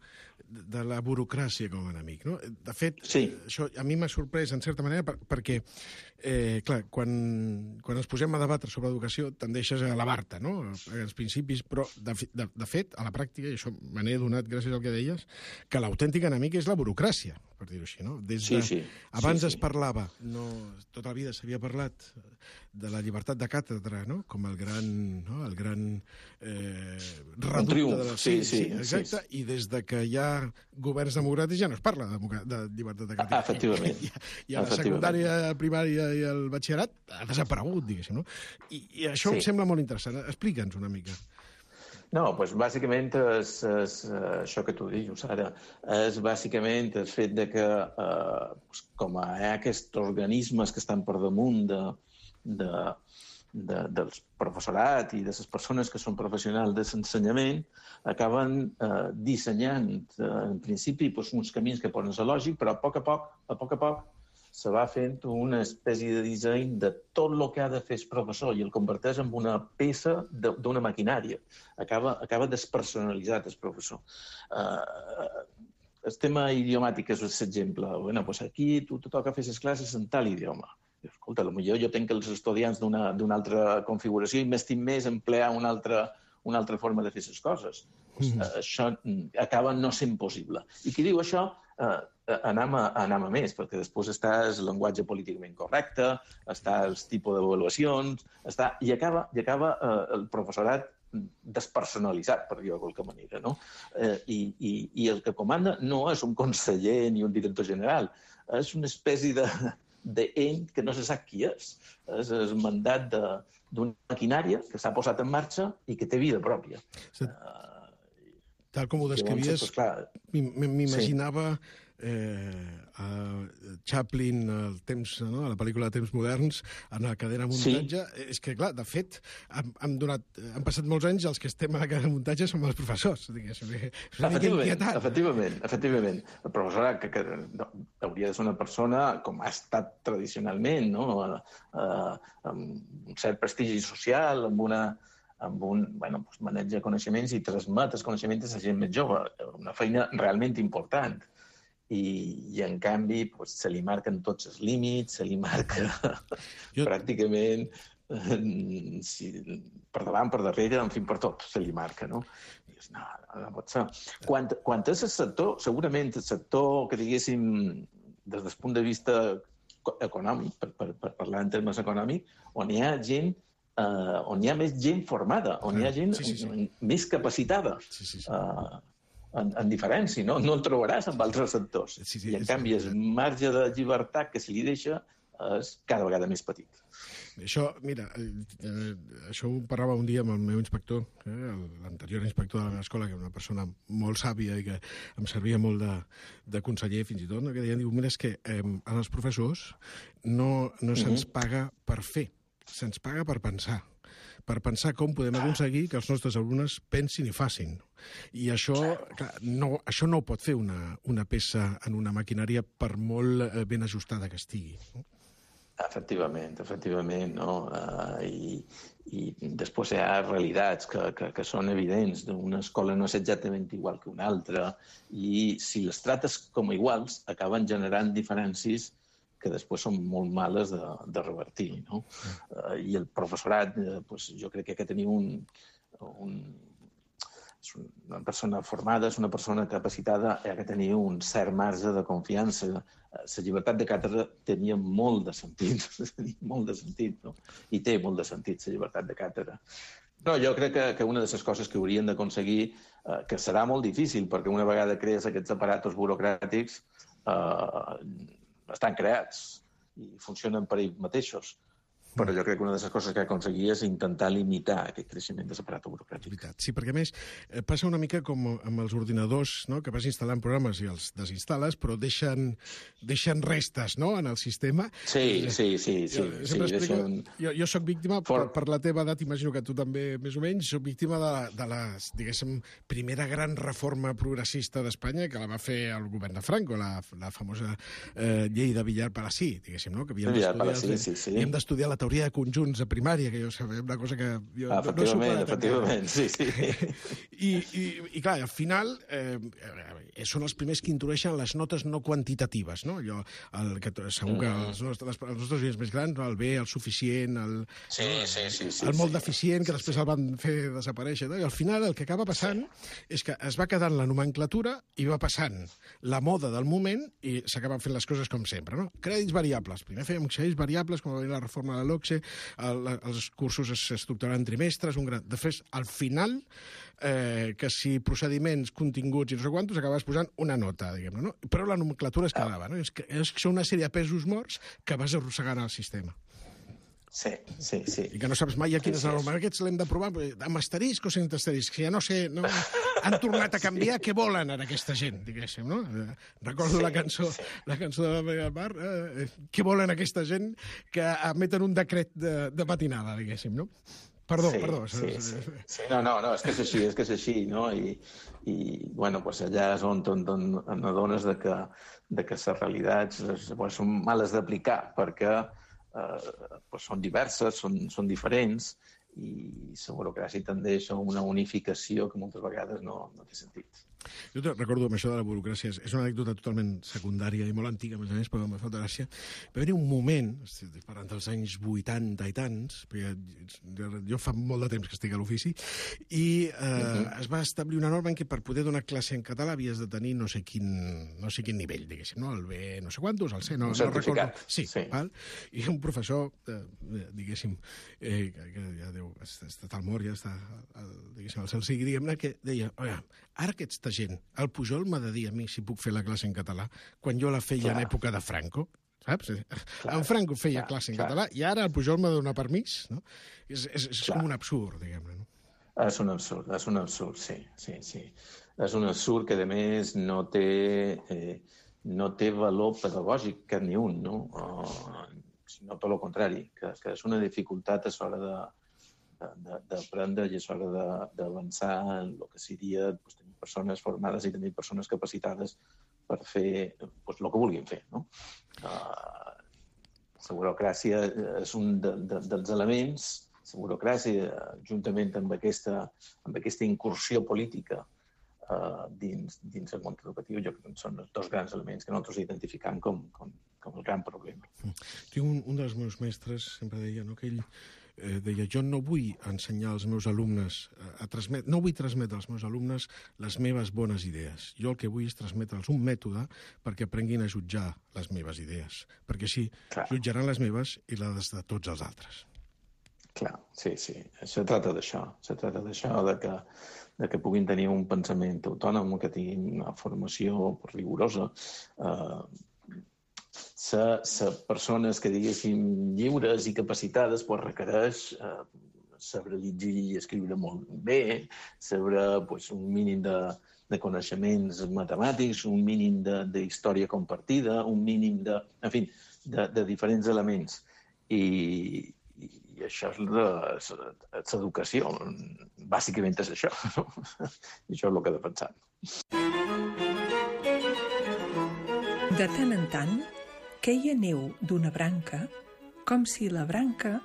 [SPEAKER 7] de, de la burocràcia com a enemic, no? De fet,
[SPEAKER 8] sí.
[SPEAKER 7] Això a mi m'ha sorprès, en certa manera, per, perquè, eh, clar, quan, quan ens posem a debatre sobre educació, tendeixes a elevar-te, no?, als principis, però, de, de, de fet, a la pràctica, i això me n'he donat gràcies al que deies, que l'autèntic enemic és la burocràcia, per dir-ho així, no? Des de,
[SPEAKER 8] sí, sí.
[SPEAKER 7] Abans
[SPEAKER 8] sí,
[SPEAKER 7] es parlava, no, tota la vida s'havia parlat de la llibertat de càtedra, no?, com el gran, no?, el gran eh, reducte de la...
[SPEAKER 8] Sí, sí,
[SPEAKER 7] sí, exacte, sí, sí. I des de que hi ha governs democràtics ja no es parla de, de llibertat de càtedra.
[SPEAKER 8] Efectivament.
[SPEAKER 7] I, i a la secundària, primària i el batxillerat ha desaparegut, diguéssim, no? I, i això sí. Em sembla molt interessant. Explica'ns una mica.
[SPEAKER 8] No, doncs bàsicament és, és això que tu dius ara, és bàsicament el fet de que eh, com hi ha aquests organismes que estan per damunt de, de, de, dels professorat i de les persones que són professionals de l'ensenyament, acaben eh, dissenyant, eh, en principi, doncs, uns camins que poden ser lògics, però a poc a poc, a poc a poc, se va fent una espècie de disseny de tot el que ha de fer el professor i el converteix en una peça d'una maquinària. Acaba, acaba despersonalitzat el professor. Uh, el tema idiomàtic és l'exemple. Bueno, pues aquí tu te toca fer les classes en tal idioma. Escolta, potser jo tenc els estudiants d'una altra configuració i m'estim més emplear una altra, una altra forma de fer les coses. Pues, uh, això acaba no sent possible. I qui diu això... Uh, anem a, anem a més, perquè després està el llenguatge políticament correcte, està el tipus d'avaluacions, està... i acaba, i acaba eh, el professorat despersonalitzat, per dir-ho de qualque manera, no? Eh, i, i, I el que comanda no és un conseller ni un director general, és una espècie de d'ent que no se sap qui és. És el mandat d'una maquinària que s'ha posat en marxa i que té vida pròpia. Sí. Uh,
[SPEAKER 7] Tal com ho descrivies, m'imaginava... Sí. Eh, a Chaplin, el temps, no? A la pel·lícula de Temps moderns, en la cadena de muntatge. Sí. És que, clar, de fet, han, han, donat, han passat molts anys, els que estem a la cadena de muntatge som els professors.
[SPEAKER 8] Efectivament, efectivament, efectivament. El professor que, que no, hauria de ser una persona, com ha estat tradicionalment, no? eh, amb un cert prestigi social, amb una amb un bueno, doncs maneig de coneixements i transmet els coneixements a la gent més jove. Una feina realment important. I, i en canvi, doncs, se li marquen tots els límits, se li marca jo... pràcticament eh, si, per davant, per darrere, en fi, per tot se li marca, no? I dius, no, no, no pot ser. Quan, quan és el sector, segurament el sector que diguéssim des del punt de vista econòmic, per, per, per parlar en termes econòmics, on hi ha gent eh, on hi ha més gent formada, on hi ha gent sí, sí, sí. més capacitada. Sí, sí, sí. Uh, En, en diferència, no? No el trobaràs en altres sectors. Sí, sí, I, en canvi, el marge de llibertat que se li deixa és cada vegada més petit.
[SPEAKER 7] Això, mira, eh, això ho parlava un dia amb el meu inspector, eh, l'anterior inspector de la meva escola, que era una persona molt sàvia i que em servia molt de, de conseller, fins i tot, no? Que deia, diu, mira, és que eh, a els professors no, no se'ns paga per fer, se'ns paga per pensar. Per pensar com podem aconseguir que els nostres alumnes pensin i facin. I això, clar, no, això no ho pot fer una, una peça en una maquinària per molt ben ajustada que estigui. No?
[SPEAKER 8] Efectivament, efectivament, no? Uh, i, I després hi ha realitats que, que, que són evidents. Una escola no és exactament igual que una altra i si les trates com a iguals acaben generant diferències que després són molt males de, de revertir, no? Uh, I el professorat, uh, pues, jo crec que ha de tenir un, un... És una persona formada, és una persona capacitada, ha de tenir un cert marge de confiança. La llibertat de càtedra tenia molt de sentit, molt de sentit, no? I té molt de sentit, la llibertat de càtedra. No, jo crec que, que una de les coses que haurien d'aconseguir, eh, que serà molt difícil, perquè una vegada crees aquests aparatos burocràtics, eh, estan creats i funcionen per ells mateixos. però jo crec que una de les coses que aconseguia és intentar limitar aquest creixement de l'aparato burocràtic.
[SPEAKER 7] Sí, perquè a més eh, passa una mica com amb els ordinadors, no? Que vas instal·lant programes i els desinstal·les, però deixen, deixen restes, no?, en el sistema.
[SPEAKER 8] Sí, sí, sí. sí,
[SPEAKER 7] jo,
[SPEAKER 8] sí
[SPEAKER 7] explico,
[SPEAKER 8] deixen...
[SPEAKER 7] jo, jo soc víctima,
[SPEAKER 8] For...
[SPEAKER 7] per, per la teva edat, imagino que tu també, més o menys, soc víctima de la, de la diguéssim, primera gran reforma progressista d'Espanya, que la va fer el govern de Franco, la, la famosa eh, llei de Villar-Palasí, diguéssim, no?, que havíem d'estudiar sí, sí, sí. d'estudiar la teoria de conjunts a primària, que jo sabia, una cosa que jo
[SPEAKER 8] ah,
[SPEAKER 7] no he superat.
[SPEAKER 8] Efectivament, sí, sí.
[SPEAKER 7] I, i, I clar, al final eh, són els primers que introdueixen les notes no quantitatives, no? Allò, el, que, segur que els nostres, els nostres oients més grans, el bé, el suficient, el,
[SPEAKER 8] sí, sí, sí, sí,
[SPEAKER 7] el molt
[SPEAKER 8] sí,
[SPEAKER 7] deficient,
[SPEAKER 8] sí,
[SPEAKER 7] que després el van fer desaparèixer. No? I al final el que acaba passant és que es va quedant la nomenclatura i va passant la moda del moment i s'acaben fent les coses com sempre, no? Crèdits variables. Primer fèiem crèdits variables, com va venir la reforma de l'O C S E, el, els cursos s'estructuraran en trimestres, un gran... De fet, al final, eh, que si procediments, continguts i no sé quantos, acabaves posant una nota, diguem-ne, no? Però la nomenclatura es quedava, no? És que, és que són una sèrie de pesos morts que vas arrossegant al sistema.
[SPEAKER 8] Sí, sí, sí.
[SPEAKER 7] I que no saps mai a quin sí, és el normal. Aquests l'hem de provar amb asterisc o sense asterisc. Ja no sé, no? Han tornat a canviar. Sí. Què volen ara aquesta gent, diguéssim, no? Recordo sí, la cançó sí. la cançó de la Vega Mar. Eh, què volen aquesta gent que emeten un decret de, de matinada, diguéssim, no? Perdó,
[SPEAKER 8] sí,
[SPEAKER 7] perdó.
[SPEAKER 8] Sí, sí, sí. No, no, no, és que és així, és que és així, no? I, i bueno, pues allà és on, on, on adones de que, de que les realitats pues, són males d'aplicar, perquè Eh, pues són diverses, són, són diferents i la burocràcia tendeix a una unificació que moltes vegades no, no té sentit.
[SPEAKER 7] Jo te recordo amb això de la burocràcia, és una anècdota totalment secundària i molt antiga, a més a més, però em fa gràcia. Va haver un moment, estic parlant dels anys vuitanta i tants, perquè jo fa molt de temps que estic a l'ofici, i eh, uh-huh. es va establir una norma en què per poder donar classe en català havies de tenir no sé quin, no sé quin nivell, diguéssim, no? El B no sé quantos, el C, no, no recordo. Sí, sí. Val? I un professor, eh, diguéssim, eh, que ja deu, està al mort, ja està, el, diguéssim, el cel sigui, diguem-ne, que deia, oia, ara aquesta gent, el Pujol m'ha de dir a mi si puc fer la classe en català, quan jo la feia clar. En època de Franco, saps? Clar, en Franco feia clar, classe en clar. Català i ara el Pujol m'ha de donar permís, no? És, és, és com un absurd, diguem-ne, no?
[SPEAKER 8] És un absurd, és un absurd, sí, sí, sí. És un absurd que, a més, no té, eh, no té valor pedagògic cap ni un, no? O, sinó tot el contrari, que, que és una dificultat a l'hora de d'aprendre i és hora d'avançar en el que seria pues, tenir persones formades i tenir persones capacitades per fer pues, el que vulguin fer. No? Uh, la burocràcia és un de, de, dels elements, la burocràcia, juntament amb aquesta, amb aquesta incursió política uh, dins, dins el món educatiu, jo crec que són els dos grans elements que nosaltres identificam com, com, com el gran problema.
[SPEAKER 7] Tinc un, un dels meus mestres, sempre deia, no, que ell Eh, deia, jo no vull ensenyar als meus alumnes, a transmet, no vull transmetre als meus alumnes les meves bones idees. Jo el que vull és transmetre'ls un mètode perquè aprenguin a jutjar les meves idees, perquè així clar. Jutjaran les meves i les de tots els altres.
[SPEAKER 8] Clar, sí, sí. Se trata d'això. Se trata d'això, de que, de que puguin tenir un pensament autònom, que tinguin una formació rigorosa, eh, ser persones que, diguéssim, lliures i capacitades, pues, requereix eh, saber llegir i escriure molt bé, saber pues, un mínim de, de coneixements matemàtics, un mínim d'història compartida, un mínim de, en fi, de, de diferents elements. I, i això és l'educació. Bàsicament és això. No? I això és el que defensam.
[SPEAKER 9] De tant en tant, queia neu d'una branca com si la branca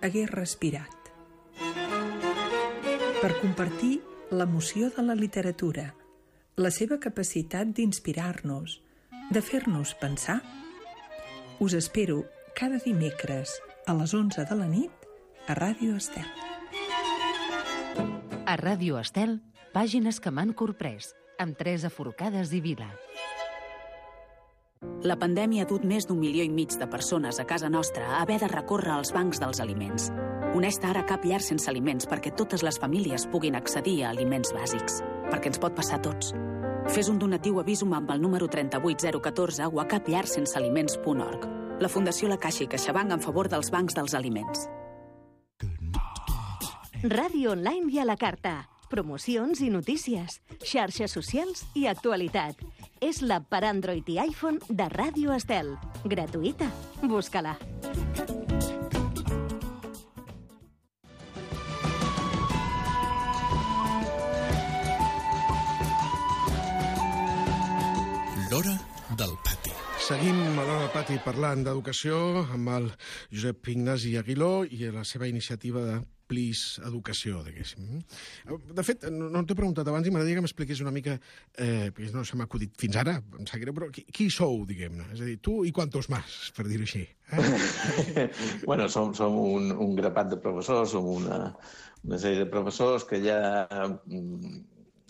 [SPEAKER 9] hagués respirat. Per compartir l'emoció de la literatura, la seva capacitat d'inspirar-nos, de fer-nos pensar, us espero cada dimecres a les onze de la nit a Ràdio Estel.
[SPEAKER 3] A Ràdio Estel, pàgines que m'han corprès, amb Teresa Forcades i Vila.
[SPEAKER 10] La pandèmia ha dut més d'un milió i mig de persones a casa nostra a haver de recórrer als bancs dels aliments. Honesta ara cap llar sense aliments perquè totes les famílies puguin accedir a aliments bàsics. Perquè ens pot passar a tots. Fes un donatiu a Visum amb el número tres vuit zero un quatre o a cap llar sense aliments punt org. La Fundació La Caixa i CaixaBank en favor dels bancs dels aliments.
[SPEAKER 11] Ràdio online i a la carta. Promocions i notícies, xarxes socials i actualitat. És l'app per Android i iPhone de Ràdio Estel. Gratuïta. Busca-la.
[SPEAKER 6] L'hora del pati.
[SPEAKER 7] Seguim a l'hora del pati parlant d'educació amb el Josep Ignasi Aguiló i la seva iniciativa de Please Educació, diguéssim. De fet, no t'he preguntat abans i m'agradaria que m'expliqués una mica, eh, perquè no se m'ha acudit fins ara, em sap greu, però qui, qui sou, diguem-ne? És a dir, tu i quantos más, per dir-ho així. Eh?
[SPEAKER 8] Bueno, som, som un, un grapat de professors, som una, una sèrie de professors que ja mm,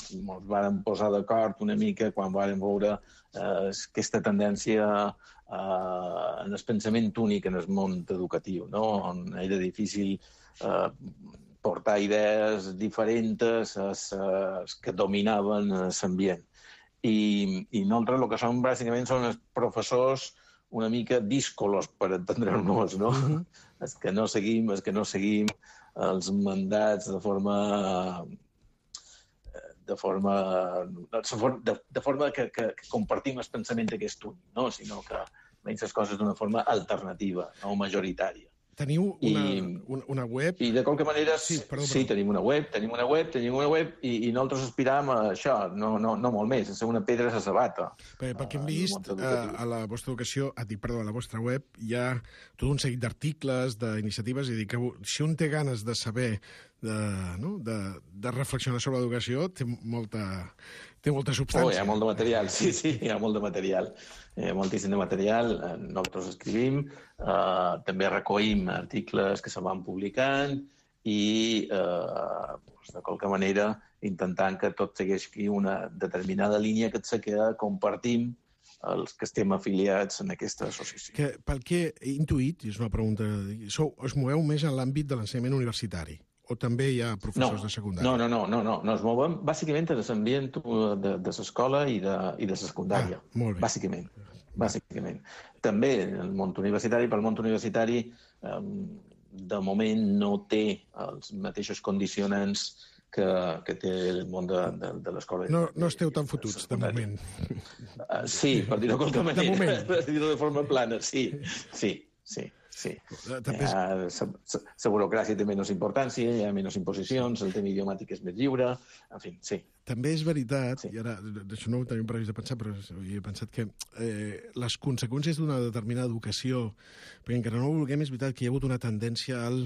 [SPEAKER 8] ens vàrem posar d'acord una mica quan vàrem veure eh, aquesta tendència eh, en el pensament únic en el món educatiu, no? On era difícil eh, portar idees diferents a que dominaven l'ambient. I, I nosaltres el que som bàsicament són els professors una mica díscolos, per entendre-nos, no? Mm-hmm. Els que no seguim, els que no seguim els mandats de forma... de forma, de, de forma que, que, que compartim el pensament d'aquest únic, no? Sinó que veiem les coses d'una forma alternativa, no majoritària.
[SPEAKER 7] Teniu una,
[SPEAKER 8] I,
[SPEAKER 7] una, una web...
[SPEAKER 8] I de qualque manera,
[SPEAKER 7] sí, perdó,
[SPEAKER 8] sí
[SPEAKER 7] perdó.
[SPEAKER 8] tenim una web, tenim una web, tenim una web i, i nosaltres aspiràvem a això, no, no, no molt més, a ser una pedra a la sabata.
[SPEAKER 7] Perquè, pel que hem vist, a, a la vostra educació, a dir, perdó, a la vostra web, hi ha tot un seguit d'articles, d'iniciatives, i dir que si un té ganes de saber, de, no? de, de reflexionar sobre l'educació, té molta, té molta substància.
[SPEAKER 8] Oh, hi ha molt de material, sí, sí, hi ha molt de material. Eh, moltíssim de material, eh, nosaltres escrivim, eh, també recollim articles que se van publicant i, eh, doncs, de qualque manera, intentant que tot segueixi una determinada línia que se queda, compartim els que estem afiliats en aquesta associació.
[SPEAKER 7] Que, pel que he intuït, i és una pregunta, sou, us moveu més en l'àmbit de l'ensenyament universitari? O també hi ha professors
[SPEAKER 8] no,
[SPEAKER 7] de secundària?
[SPEAKER 8] No, no, no, no, no, no. Ens movem bàsicament en l'ambient de, de l'escola i de, i de la secundària.
[SPEAKER 7] Ah, molt bé.
[SPEAKER 8] Bàsicament. Bàsicament. També el món universitari, pel món universitari, eh, de moment no té els mateixos condicionants que, que té el món de, de, de l'escola.
[SPEAKER 7] No, no esteu tan fotuts, de moment.
[SPEAKER 8] Uh, sí, per dir-ho de qualque manera.
[SPEAKER 7] De moment.
[SPEAKER 8] Per dir-ho de forma plana, sí, sí, sí. Sí.
[SPEAKER 7] També és...
[SPEAKER 8] La burocràcia té menys importància, hi ha menys imposicions, el tema idiomàtic és més lliure, en fi, sí.
[SPEAKER 7] També és veritat, sí. I ara, d'això no ho tenim previst de pensar, però he pensat que eh, les conseqüències d'una determinada educació, perquè encara no ho vulguem, és veritat que hi ha hagut una tendència al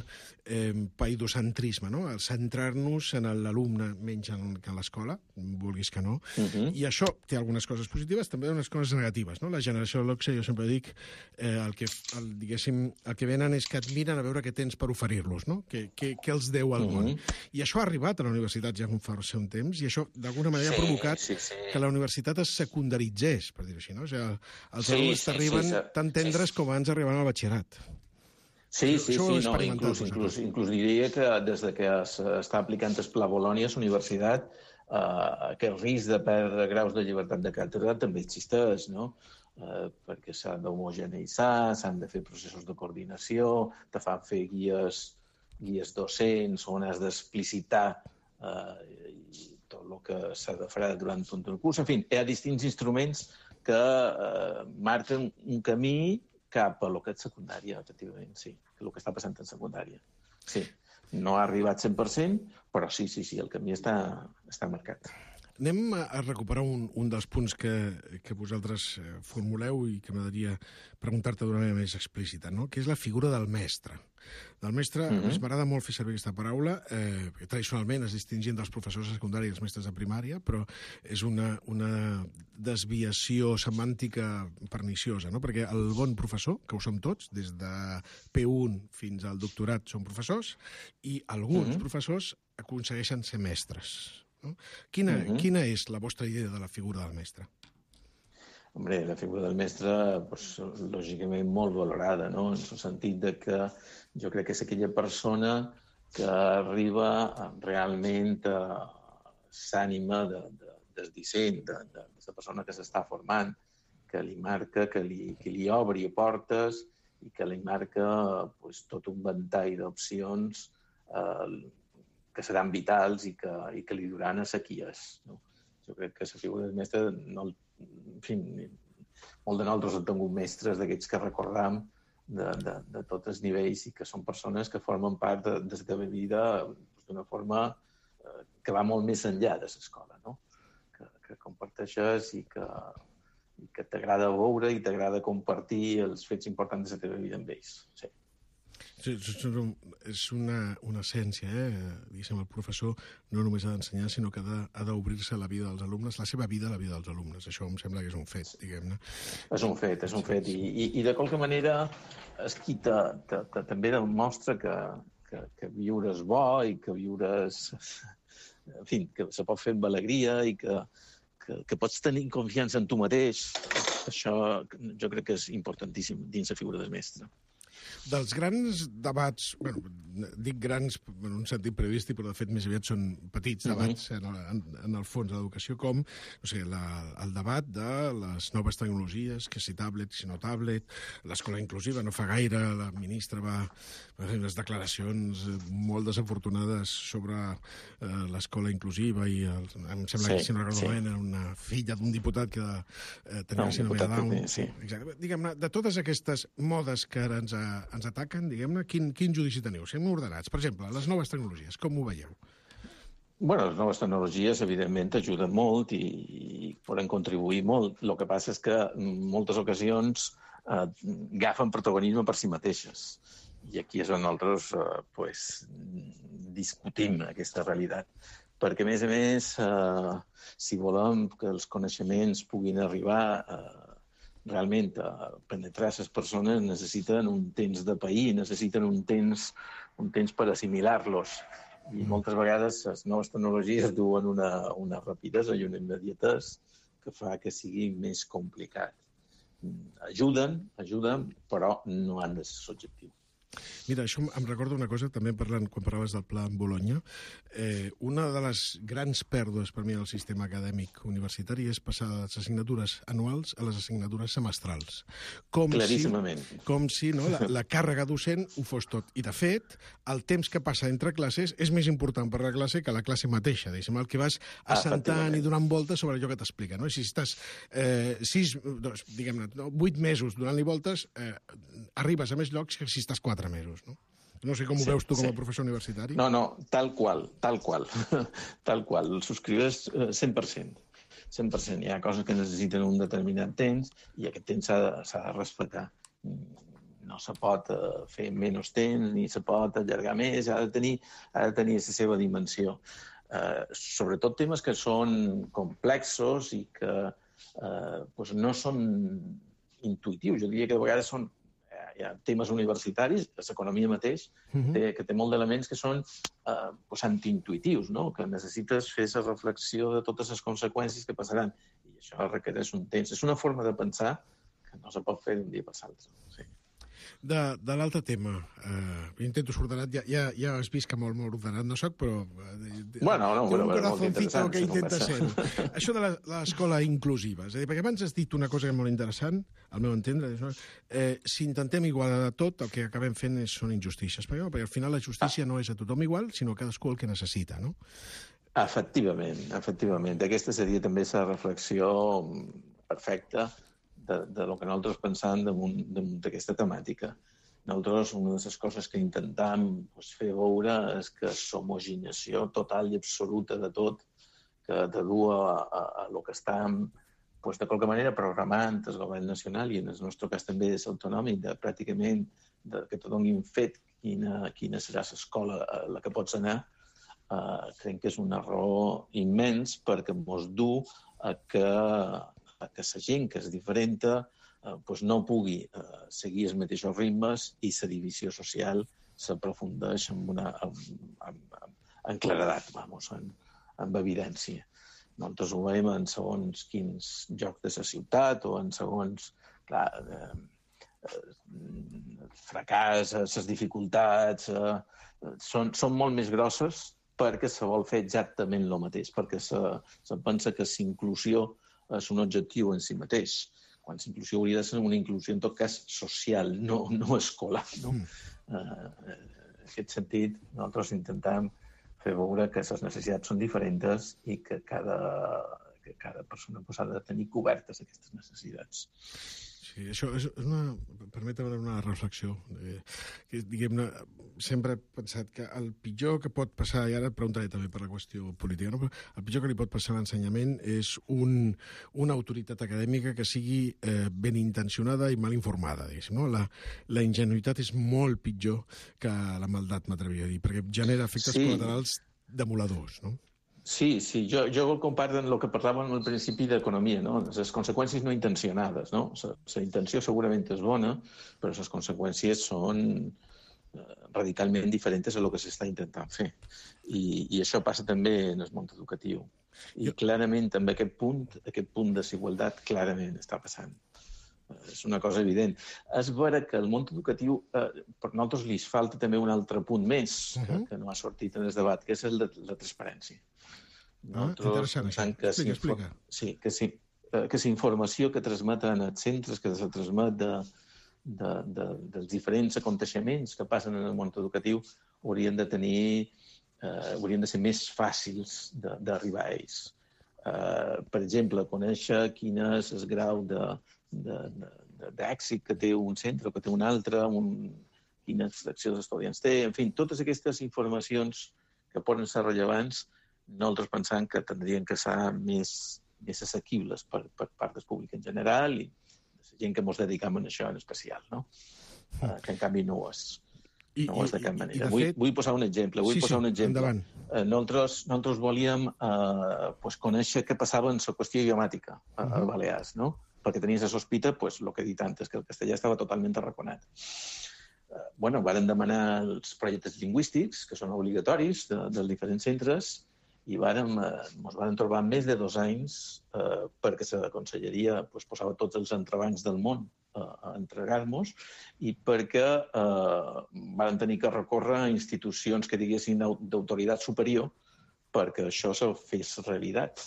[SPEAKER 7] eh, paidocentrisme, no? Al centrar-nos en l'alumne menys en, que en l'escola, vulguis que no, uh-huh. I això té algunes coses positives, també unes coses negatives, no? La generació de l'Oxe, jo sempre dic, eh, el que, el, diguéssim, el que venen és que et miren a veure què tens per oferir-los, no? Què, què, què els deu al món. Uh-huh. I això ha arribat a la universitat ja fa un temps, i això d'alguna manera sí, ha provocat sí, sí. que la universitat es secundaritzés, per dir-ho així, no? O sigui, els sí, alumnes sí, t'arriben sí, tan tendres sí. com abans arribant al batxillerat.
[SPEAKER 8] Sí, sí, sí, no, inclús, inclús, inclús diria que des de que s'està aplicant el Pla Bolònia a la universitat, eh, aquest risc de perdre graus de llibertat de càtedra també existeix, no? Eh, perquè s'han d'homogeneïtzar, s'han de fer processos de coordinació, te fan fer guies, guies docents on has d'explicitar eh, tot el que s'ha de fer durant tot el curs. En fi, hi ha distints instruments que eh, marquen un camí cap a lo que és secundària, efectivament, sí, el que està passant en secundària. Sí, no ha arribat cent per cent, però sí, sí, sí, el camí està, està marcat.
[SPEAKER 7] Anem a recuperar un, un dels punts que, que vosaltres formuleu i que m'agradaria preguntar-te d'una manera més explícita, no? Que és la figura del mestre. Del mestre, mm-hmm. a més, m'agrada molt fer servir aquesta paraula, eh, tradicionalment es distingien dels professors de secundària i els mestres de primària, però és una, una desviació semàntica perniciosa, no? Perquè el bon professor, que ho som tots, des de P un fins al doctorat són professors, i alguns mm-hmm. professors aconsegueixen ser mestres. No? Quina, uh-huh. quina és la vostra idea de la figura del mestre?
[SPEAKER 8] Hombre, la figura del mestre, pues, lògicament, molt valorada, no? En el sentit de que jo crec que és aquella persona que arriba realment a s'ànima de, de, del disseny, de, de, de la persona que s'està formant, que li marca, que li, que li obri portes i que li marca pues, tot un ventall d'opcions eh, que seran vitals i que, i que li duran a sequies. No? Jo crec que la figura del mestre, no, en fi, molt de nosaltres hem tingut mestres d'aquests que recordam de, de, de tots els nivells i que són persones que formen part de, de la teva vida d'una forma eh, que va molt més enllà de l'escola, no? que, que comparteixes i que, i que t'agrada veure i t'agrada compartir els fets importants de la teva vida amb ells. Sí.
[SPEAKER 7] És una, una essència, eh? Diguéssim, el professor no només ha d'ensenyar, sinó que ha d'obrir-se a la vida dels alumnes, la seva vida a la vida dels alumnes. Això em sembla que és un fet, diguem-ne.
[SPEAKER 8] És un fet, és un fet. I, i, i de qualque manera és qui te, te, te, també demostra que, que, que viure és bo i que viure és... En fi, que se pot fer amb alegria i que, que, que pots tenir confiança en tu mateix. Això jo crec que és importantíssim dins la figura del mestre.
[SPEAKER 7] Dels grans debats, bueno, dic grans en un sentit periodístic, però de fet més aviat són petits debats uh-huh. en, el, en, en el fons de l'educació, com no sé, la, el debat de les noves tecnologies, que si tablet, si no tablet, l'escola inclusiva. No fa gaire la ministra va fer unes declaracions molt desafortunades sobre eh, l'escola inclusiva i el, em sembla sí, que si no recordo sí. una filla d'un diputat que eh, tenia no, la síndrome de Down. Sí. Exacte. Diguem-ne, de totes aquestes modes que ara ens, a, ens ataquen, diguem-ne, quin, quin judici teniu? Siguem ordenats. Per exemple, les noves tecnologies, com ho veieu?
[SPEAKER 8] Bueno, les noves tecnologies, evidentment, ajuden molt i, i poden contribuir molt. El que passa és que en moltes ocasions eh, agafen protagonisme per si mateixes. I aquí és on nosaltres eh, pues, discutim aquesta realitat. Perquè, a més a més, eh, si volem que els coneixements puguin arribar eh, realment a penetrar les persones, necessiten un temps de pair, necessiten un temps, un temps per assimilar-los. I moltes vegades les noves tecnologies duen una, una rapidesa i una immediatesa que fa que sigui més complicat. Ajuden, ajuden, però no han de ser l'objectiu.
[SPEAKER 7] Mira, això em recorda una cosa, també parlant, quan parlaves del pla en Bologna. Eh, una de les grans pèrdues per mi del sistema acadèmic universitari és passar de les assignatures anuals a les assignatures semestrals. Com
[SPEAKER 8] Claríssimament.
[SPEAKER 7] Si, com si no, la, la càrrega docent ho fos tot. I, de fet, el temps que passa entre classes és més important per la classe que la classe mateixa. Diguéssim, el que vas assentant i donant voltes sobre allò que t'explica. No? Si estàs eh, sis, dos, diguem-ne, no, vuit mesos donant-li voltes, eh, arribes a més llocs que si estàs quatre mesos, no? No sé com ho sí, veus tu com a sí. professor universitari.
[SPEAKER 8] No, no, tal qual, tal qual. Tal qual, el subscribes cent per cent. cent per cent. Hi ha coses que necessiten un determinat temps i aquest temps s'ha de, s'ha de respectar. No se pot fer menys temps ni se pot allargar més, ha de tenir, ha de tenir la seva dimensió. Eh, sobretot temes que són complexos i que eh, pues no són intuïtius. Jo diria que de vegades són hi ha temes universitaris, l'economia mateix, uh-huh. té, que té molt d'elements que són eh, pues, antiintuïtius, no? Que necessites fer la reflexió de totes les conseqüències que passaran. I això requereix un temps. És una forma de pensar que no se pot fer d'un dia per l'altre. Sí.
[SPEAKER 7] De, de l'altre tema, eh, intento ser ordenat, ja, ja, ja has vist que molt, molt ordenat no soc, però... Eh,
[SPEAKER 8] bueno, no,
[SPEAKER 7] té un
[SPEAKER 8] bueno,
[SPEAKER 7] corazoncito que intenta ser. Això de l'escola inclusiva, és a dir, perquè abans has dit una cosa que és molt interessant, al meu entendre, eh, si intentem igualar tot, el que acabem fent és, són injustícies, perquè, perquè al final la justícia ah. no és a tothom igual, sinó a cadascú el que necessita, no?
[SPEAKER 8] Efectivament, efectivament. Aquesta seria també la reflexió perfecta de, de lo que nosaltres pensàvem damunt, damunt d'aquesta temàtica. Nosaltres, una de les coses que intentam pues, fer veure és que l'homogeneació total i absoluta de tot, que de dur a, a, a lo que estàvem pues, de qualque manera programant el govern nacional i en el nostre cas també és autonòmic, de pràcticament de, que te donin fet quina, quina serà l'escola a la que pots anar, uh, crec que és un error immens perquè mos du a que que la gent que és diferent eh, pues no pugui eh, seguir els mateixos ritmes i la divisió social s'aprofundeix amb, una, amb, amb, amb, amb claredat, vamos, en, amb evidència. Nosaltres ho veiem en segons quins jocs de la ciutat o en segons, clar, eh, eh, fracàs, les dificultats, eh, són, són molt més grosses perquè se vol fer exactament el mateix, perquè se, se pensa que la inclusió és un objectiu en si mateix, quan l'inclusió hauria de ser una inclusió, en tot cas, social, no, no escolar. No? Mm. Uh, en aquest sentit, nosaltres intentem fer veure que les necessitats són diferents i que cada, que cada persona pues, ha de tenir cobertes aquestes necessitats.
[SPEAKER 7] Sí, això és una... Permetem una reflexió. Eh, que, diguem-ne, sempre he pensat que el pitjor que pot passar, i ara et preguntaré també per la qüestió política, no? Però el pitjor que li pot passar a l'ensenyament és un, una autoritat acadèmica que sigui eh, ben intencionada i mal informada, diguéssim, no? La, la ingenuïtat és molt pitjor que la maldat, m'atreviria a dir, perquè genera efectes sí. col·laterals demoladors, no?
[SPEAKER 8] Sí, sí, jo, jo vol comparar amb el que parlàvem al principi d'economia, no? Les conseqüències no intencionades, no? La intenció segurament és bona, però les conseqüències són radicalment diferents a el que s'està intentant fer. I, i això passa també en el món educatiu. I jo... clarament també aquest punt, aquest punt de desigualtat clarament està passant. És una cosa evident. És vera que el món educatiu, eh, per nosaltres li falta també un altre punt més que, uh-huh. que no ha sortit en el debat, que és el de la transparència.
[SPEAKER 7] Nosaltres ah, interessant, això. Explica, explica.
[SPEAKER 8] Sí, que sí, que la informació que transmeten els centres, que se transmet de, de, de, dels diferents aconteixements que passen en el món educatiu, haurien de tenir, eh, haurien de ser més fàcils d'arribar a ells. Eh, per exemple, conèixer quin és el grau de, de, de, d'èxit que té un centre o que té un altre, un, quines seccions d'estudiants té, en fi, totes aquestes informacions que poden ser rellevants, nosaltres pensam que tindrien que ser més, més assequibles per, per part del públic en general i la gent que ens dedicam a això en especial, no? Uh, que en canvi no ho és.
[SPEAKER 7] I,
[SPEAKER 8] no ho és de cap
[SPEAKER 7] i,
[SPEAKER 8] manera.
[SPEAKER 7] de
[SPEAKER 8] Vull,
[SPEAKER 7] fet...
[SPEAKER 8] vull posar un exemple. Vull
[SPEAKER 7] sí,
[SPEAKER 8] posar
[SPEAKER 7] sí,
[SPEAKER 8] un exemple.
[SPEAKER 7] Uh,
[SPEAKER 8] nosaltres, nosaltres volíem uh, pues, conèixer què passava en la qüestió idiomàtica a, a Balears, no? Perquè tenies la sospita, pues, el que he dit antes, que el castellà estava totalment arraconat. Uh, bueno, varen demanar els projectes lingüístics, que són obligatoris de, dels diferents centres, i vàrem, eh, ens vàrem trobar més de dos anys eh, perquè la conselleria pues, posava tots els entrebancs del món eh, a entregar-nos i perquè eh, vàrem tenir que recórrer a institucions que diguessin d'autoritat superior perquè això se fes realitat.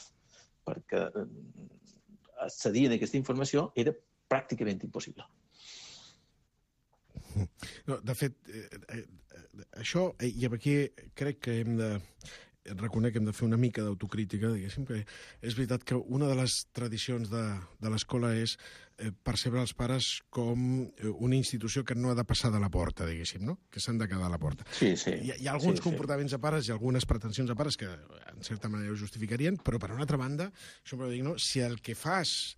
[SPEAKER 8] Perquè eh, accedir a aquesta informació era pràcticament impossible.
[SPEAKER 7] No, de fet, eh, eh, això, eh, i aquí crec que hem de... reconec que hem de fer una mica d'autocrítica, diguéssim, que és veritat que una de les tradicions de, de l'escola és eh, percebre els pares com eh, una institució que no ha de passar de la porta, diguéssim, no? Que s'han de quedar a la porta.
[SPEAKER 8] Sí, sí.
[SPEAKER 7] Hi, hi ha alguns
[SPEAKER 8] sí,
[SPEAKER 7] comportaments sí. de pares i algunes pretensions de pares que en certa manera ho justificarien, però per una altra banda, sempre dic, no? Si el que fas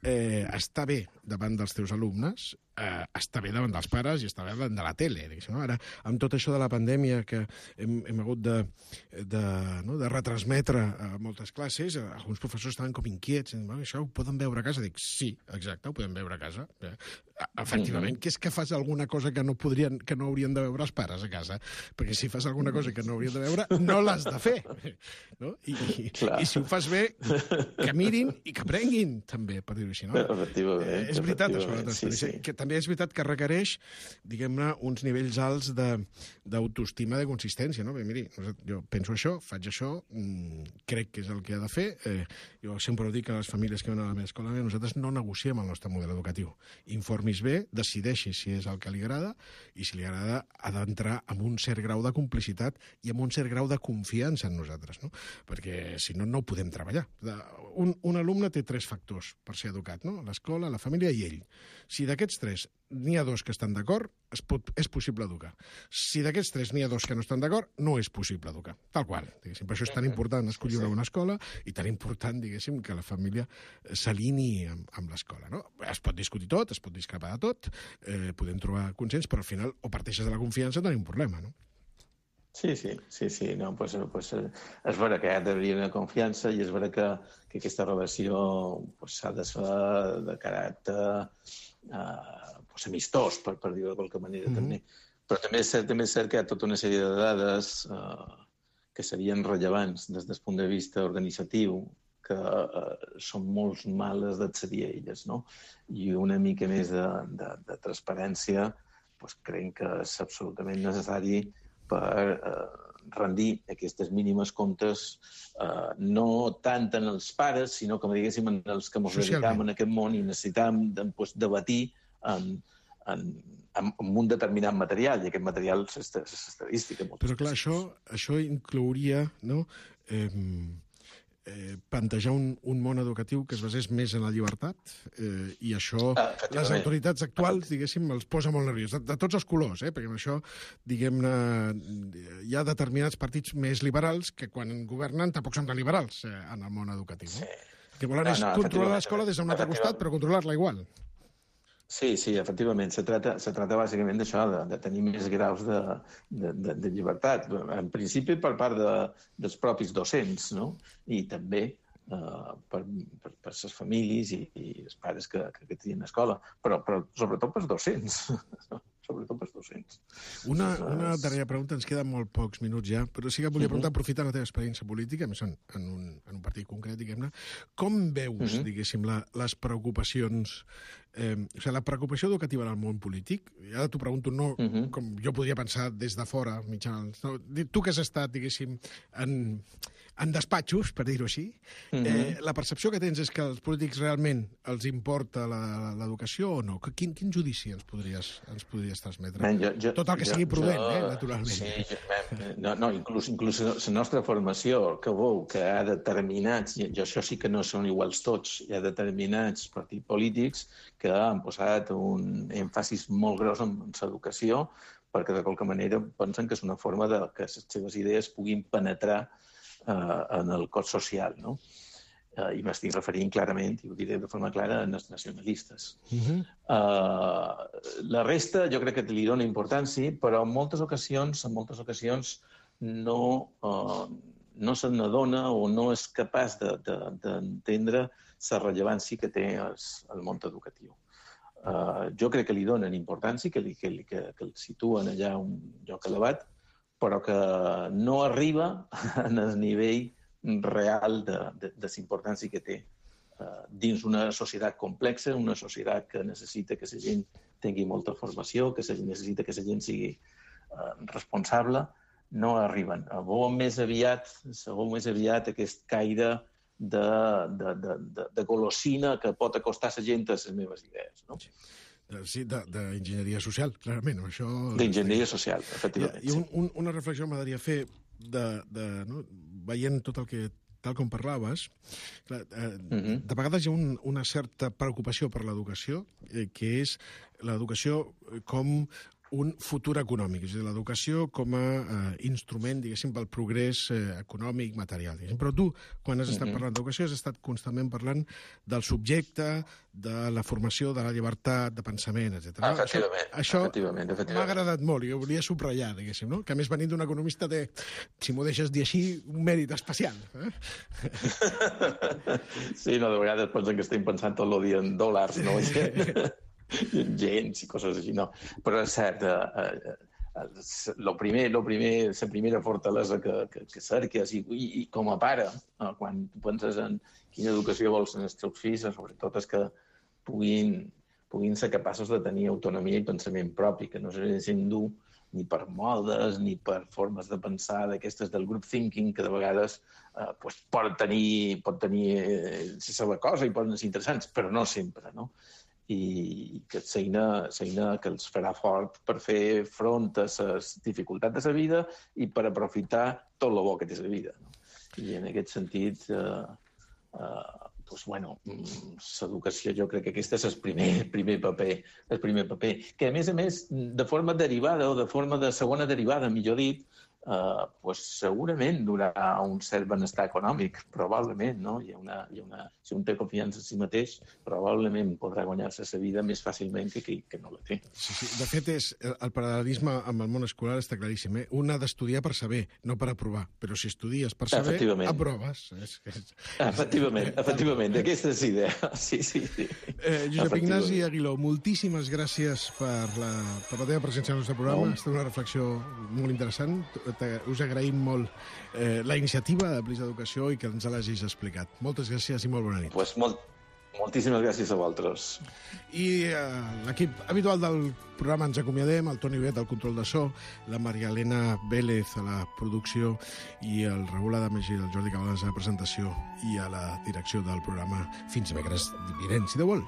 [SPEAKER 7] eh, està bé davant dels teus alumnes, eh, està bé davant dels pares i està bé davant de la tele, diguéssim, no? Ara, amb tot això de la pandèmia que hem, hem hagut de, de, no? de retransmetre a moltes classes, alguns professors estaven com inquiets, i, bueno, això ho poden veure a casa? Dic, sí, exacte, ho podem veure a casa. Eh? Efectivament, que és que fas alguna cosa que no podrien, que no haurien de veure els pares a casa, perquè si fas alguna cosa que no haurien de veure, no l'has de fer. No? I, i, I si ho fas bé, que mirin i que aprenguin, també, per dir-ho així. No?
[SPEAKER 8] Efectivament.
[SPEAKER 7] Eh, és veritat, això, la transparència.
[SPEAKER 8] Sí, sí.
[SPEAKER 7] Que també és veritat que requereix, diguem-ne, uns nivells alts d'autoestima, de, de consistència. No? Bé, miri, jo penso això, faig això, mmm, crec que és el que ha de fer. Eh, jo sempre ho dic a les famílies que van a la meva escola, nosaltres no negociem el nostre model educatiu. Informis bé, decideixi si és el que li agrada i si li agrada ha d'entrar amb un cert grau de complicitat i amb un cert grau de confiança en nosaltres, no? Perquè si no, no podem treballar. Un, un alumne té tres factors per ser educat, no? L'escola, la família i ell. Si d'aquests tres n'hi ha dos que estan d'acord, es pot, és possible educar. Si d'aquests tres n'hi ha dos que no estan d'acord, no és possible educar. Tal qual. Diguéssim. Per això és tan important escollir una bona escola i tan important, diguéssim, que la família s'alinei amb, amb l'escola, no? Es pot discutir tot, es pot discrepar de tot, eh, podem trobar consens, però al final o parteixes de la confiança o tenim un problema, no?
[SPEAKER 8] Sí, sí, sí, sí. No, pues, pues, és vera que hi ha d'haver una confiança i és vera que, que aquesta relació pues, s'ha de ser de caràcter eh, pues, amistós, per, per dir-ho de qualque manera, mm-hmm. també. Però també és, cert, també és cert que hi ha tota una sèrie de dades eh, que serien rellevants des del punt de vista organitzatiu, que eh, són molt males d'accedir a elles, no? I una mica més de, de, de transparència pues, creiem que és absolutament necessari per, eh, rendir aquestes mínimes comptes eh, no tant en els pares, sinó, com diguéssim, en els que ens dedicam en aquest món i necessitam de, pues, debatir en, en, en un determinat material, i aquest material és estadística.
[SPEAKER 7] Però clar, això, això inclouria, no?, eh, Eh, plantejar un, un món educatiu que es basés més en la llibertat eh, i això
[SPEAKER 8] ah,
[SPEAKER 7] les autoritats actuals, diguéssim, els posa molt nerviós, de, de tots els colors, eh, perquè amb això, diguem-ne, hi ha determinats partits més liberals que quan governen tampoc són tan liberals eh, en el món educatiu. No? Sí. Que volen no, no, és controlar l'escola des d'un altre costat, però controlar-la igual.
[SPEAKER 8] Sí, sí, efectivament. Se trata, se trata bàsicament d'això, de, de tenir més graus de, de, de, de llibertat. En principi per part de, dels propis docents, no? I també eh, per, per, per les famílies i, i els pares que, que, que tenen escola, però, però sobretot pels docents. sobretot pels docents.
[SPEAKER 7] Una, una darrera pregunta, ens queden molt pocs minuts ja, però sí que volia preguntar, uh-huh. aprofitant la teva experiència política, més en, en, un, en un partit concret, diguem-ne, com veus, uh-huh. diguéssim, la, les preocupacions, eh, o sigui, la preocupació educativa en el món polític? I ara t'ho pregunto, no uh-huh. com jo podria pensar des de fora, mitjans, no, tu que has estat, diguéssim, en, en despatxos, per dir-ho així, uh-huh. eh, la percepció que tens és que als polítics realment els importa l'educació o no? Quin, quin judici ens podries, ens podries transmetre?
[SPEAKER 8] Man, jo, jo,
[SPEAKER 7] Tot el que
[SPEAKER 8] jo,
[SPEAKER 7] sigui prudent,
[SPEAKER 8] jo,
[SPEAKER 7] eh, naturalment.
[SPEAKER 8] Sí, jo, man, no, no, inclús, inclús la nostra formació, que veu que hi ha determinats, i això sí que no són iguals tots, hi ha determinats partits polítics que han posat un èmfasis molt gros en l'educació perquè de qualque manera pensen que és una forma de que les seves idees puguin penetrar eh, en el cos social, no? Uh, i m'estic referint clarament, i ho diré de forma clara, en els nacionalistes. Uh-huh. uh, la resta jo crec que li dona importància, però en moltes ocasions, en moltes ocasions no, uh, no se n'adona o no és capaç d'entendre de, de, la rellevància que té el, el món educatiu. Uh, jo crec que li donen importància, que, li, que, que, que el situen allà un lloc elevat, però que no arriba en el nivell real de, de, de la importància que té uh, dins una societat complexa, una societat que necessita que la gent tingui molta formació, que necessita que la gent sigui uh, responsable, no arriben. Veu més aviat, veu més aviat aquest caire de, de, de, de, de golosina que pot acostar la gent a les meves idees, no?
[SPEAKER 7] Sí, d'enginyeria social, clarament. Això...
[SPEAKER 8] D'enginyeria social, efectivament.
[SPEAKER 7] I un, un, una reflexió m'agradaria fer de, de, no? veient tot el que, tal com parlaves, clar, eh, uh-huh. de vegades hi ha un, una certa preocupació per l'educació, eh, que és l'educació com un futur econòmic, és a dir, l'educació com a eh, instrument, diguéssim, pel progrés eh, econòmic, material. Diguéssim. Però tu, quan has estat uh-huh. parlant d'educació, has estat constantment parlant del subjecte, de la formació, de la llibertat, de pensament, etcètera.
[SPEAKER 8] Ah, efectivament,
[SPEAKER 7] això això
[SPEAKER 8] efectivament, efectivament.
[SPEAKER 7] m'ha agradat molt i ho volia subratllar, diguéssim, no? Que a més venint d'un economista té, si m'ho deixes dir així, un mèrit especial. Eh?
[SPEAKER 8] Sí, no, de vegades pensen que estem pensant tot el dia en dòlars, no? gens i coses així, no. Però és cert, eh, eh, lo primer, lo primer, la primera fortalesa que, que, que cerques i, i, i com a pare, eh, quan penses en quina educació vols en els teus fills, sobretot és que puguin, puguin ser capaços de tenir autonomia i pensament propi, que no se deixin dur ni per modes, ni per formes de pensar d'aquestes del group thinking, que de vegades eh, pues, pot tenir, pot tenir eh, la seva cosa i poden ser interessants, però no sempre, no? I que és eina, eina que els farà fort per fer front a les dificultats de la vida i per aprofitar tot el bo que té la vida. No? I en aquest sentit, eh, eh, doncs, bueno, l'educació jo crec que aquest és el primer, primer paper, el primer paper, que a més a més, de forma derivada o de forma de segona derivada, millor dit, Uh, pues segurament donarà un cert benestar econòmic, probablement, no? Hi ha una, hi ha una, si un té confiança en si mateix, probablement podrà guanyar-se la vida més fàcilment que qui que no la té.
[SPEAKER 7] Sí, sí. De fet, és, el paral·lelisme amb el món escolar està claríssim. Eh? Un ha d'estudiar per saber, no per aprovar. Però si estudies per saber, aproves. És, és...
[SPEAKER 8] Efectivament, efectivament. Aquesta és idea. Sí, sí, sí.
[SPEAKER 7] Eh, Josep Ignasi Aguiló, moltíssimes gràcies per la, per la teva presència al nostre programa. Ha estat una reflexió molt interessant. Us agraïm molt eh, la iniciativa de Plis d'Educació i que ens l'hagis explicat. Moltes gràcies i molt bona nit.
[SPEAKER 8] Pues molt, Moltíssimes gràcies a vosaltres.
[SPEAKER 7] I eh, l'equip habitual del programa ens acomiadem, el Toni Bet al control de so, la Maria Elena Vélez a la producció i el Raül Adames i el Jordi Cabanes a la presentació i a la direcció del programa. Fins dimecres vinent, si Déu vol.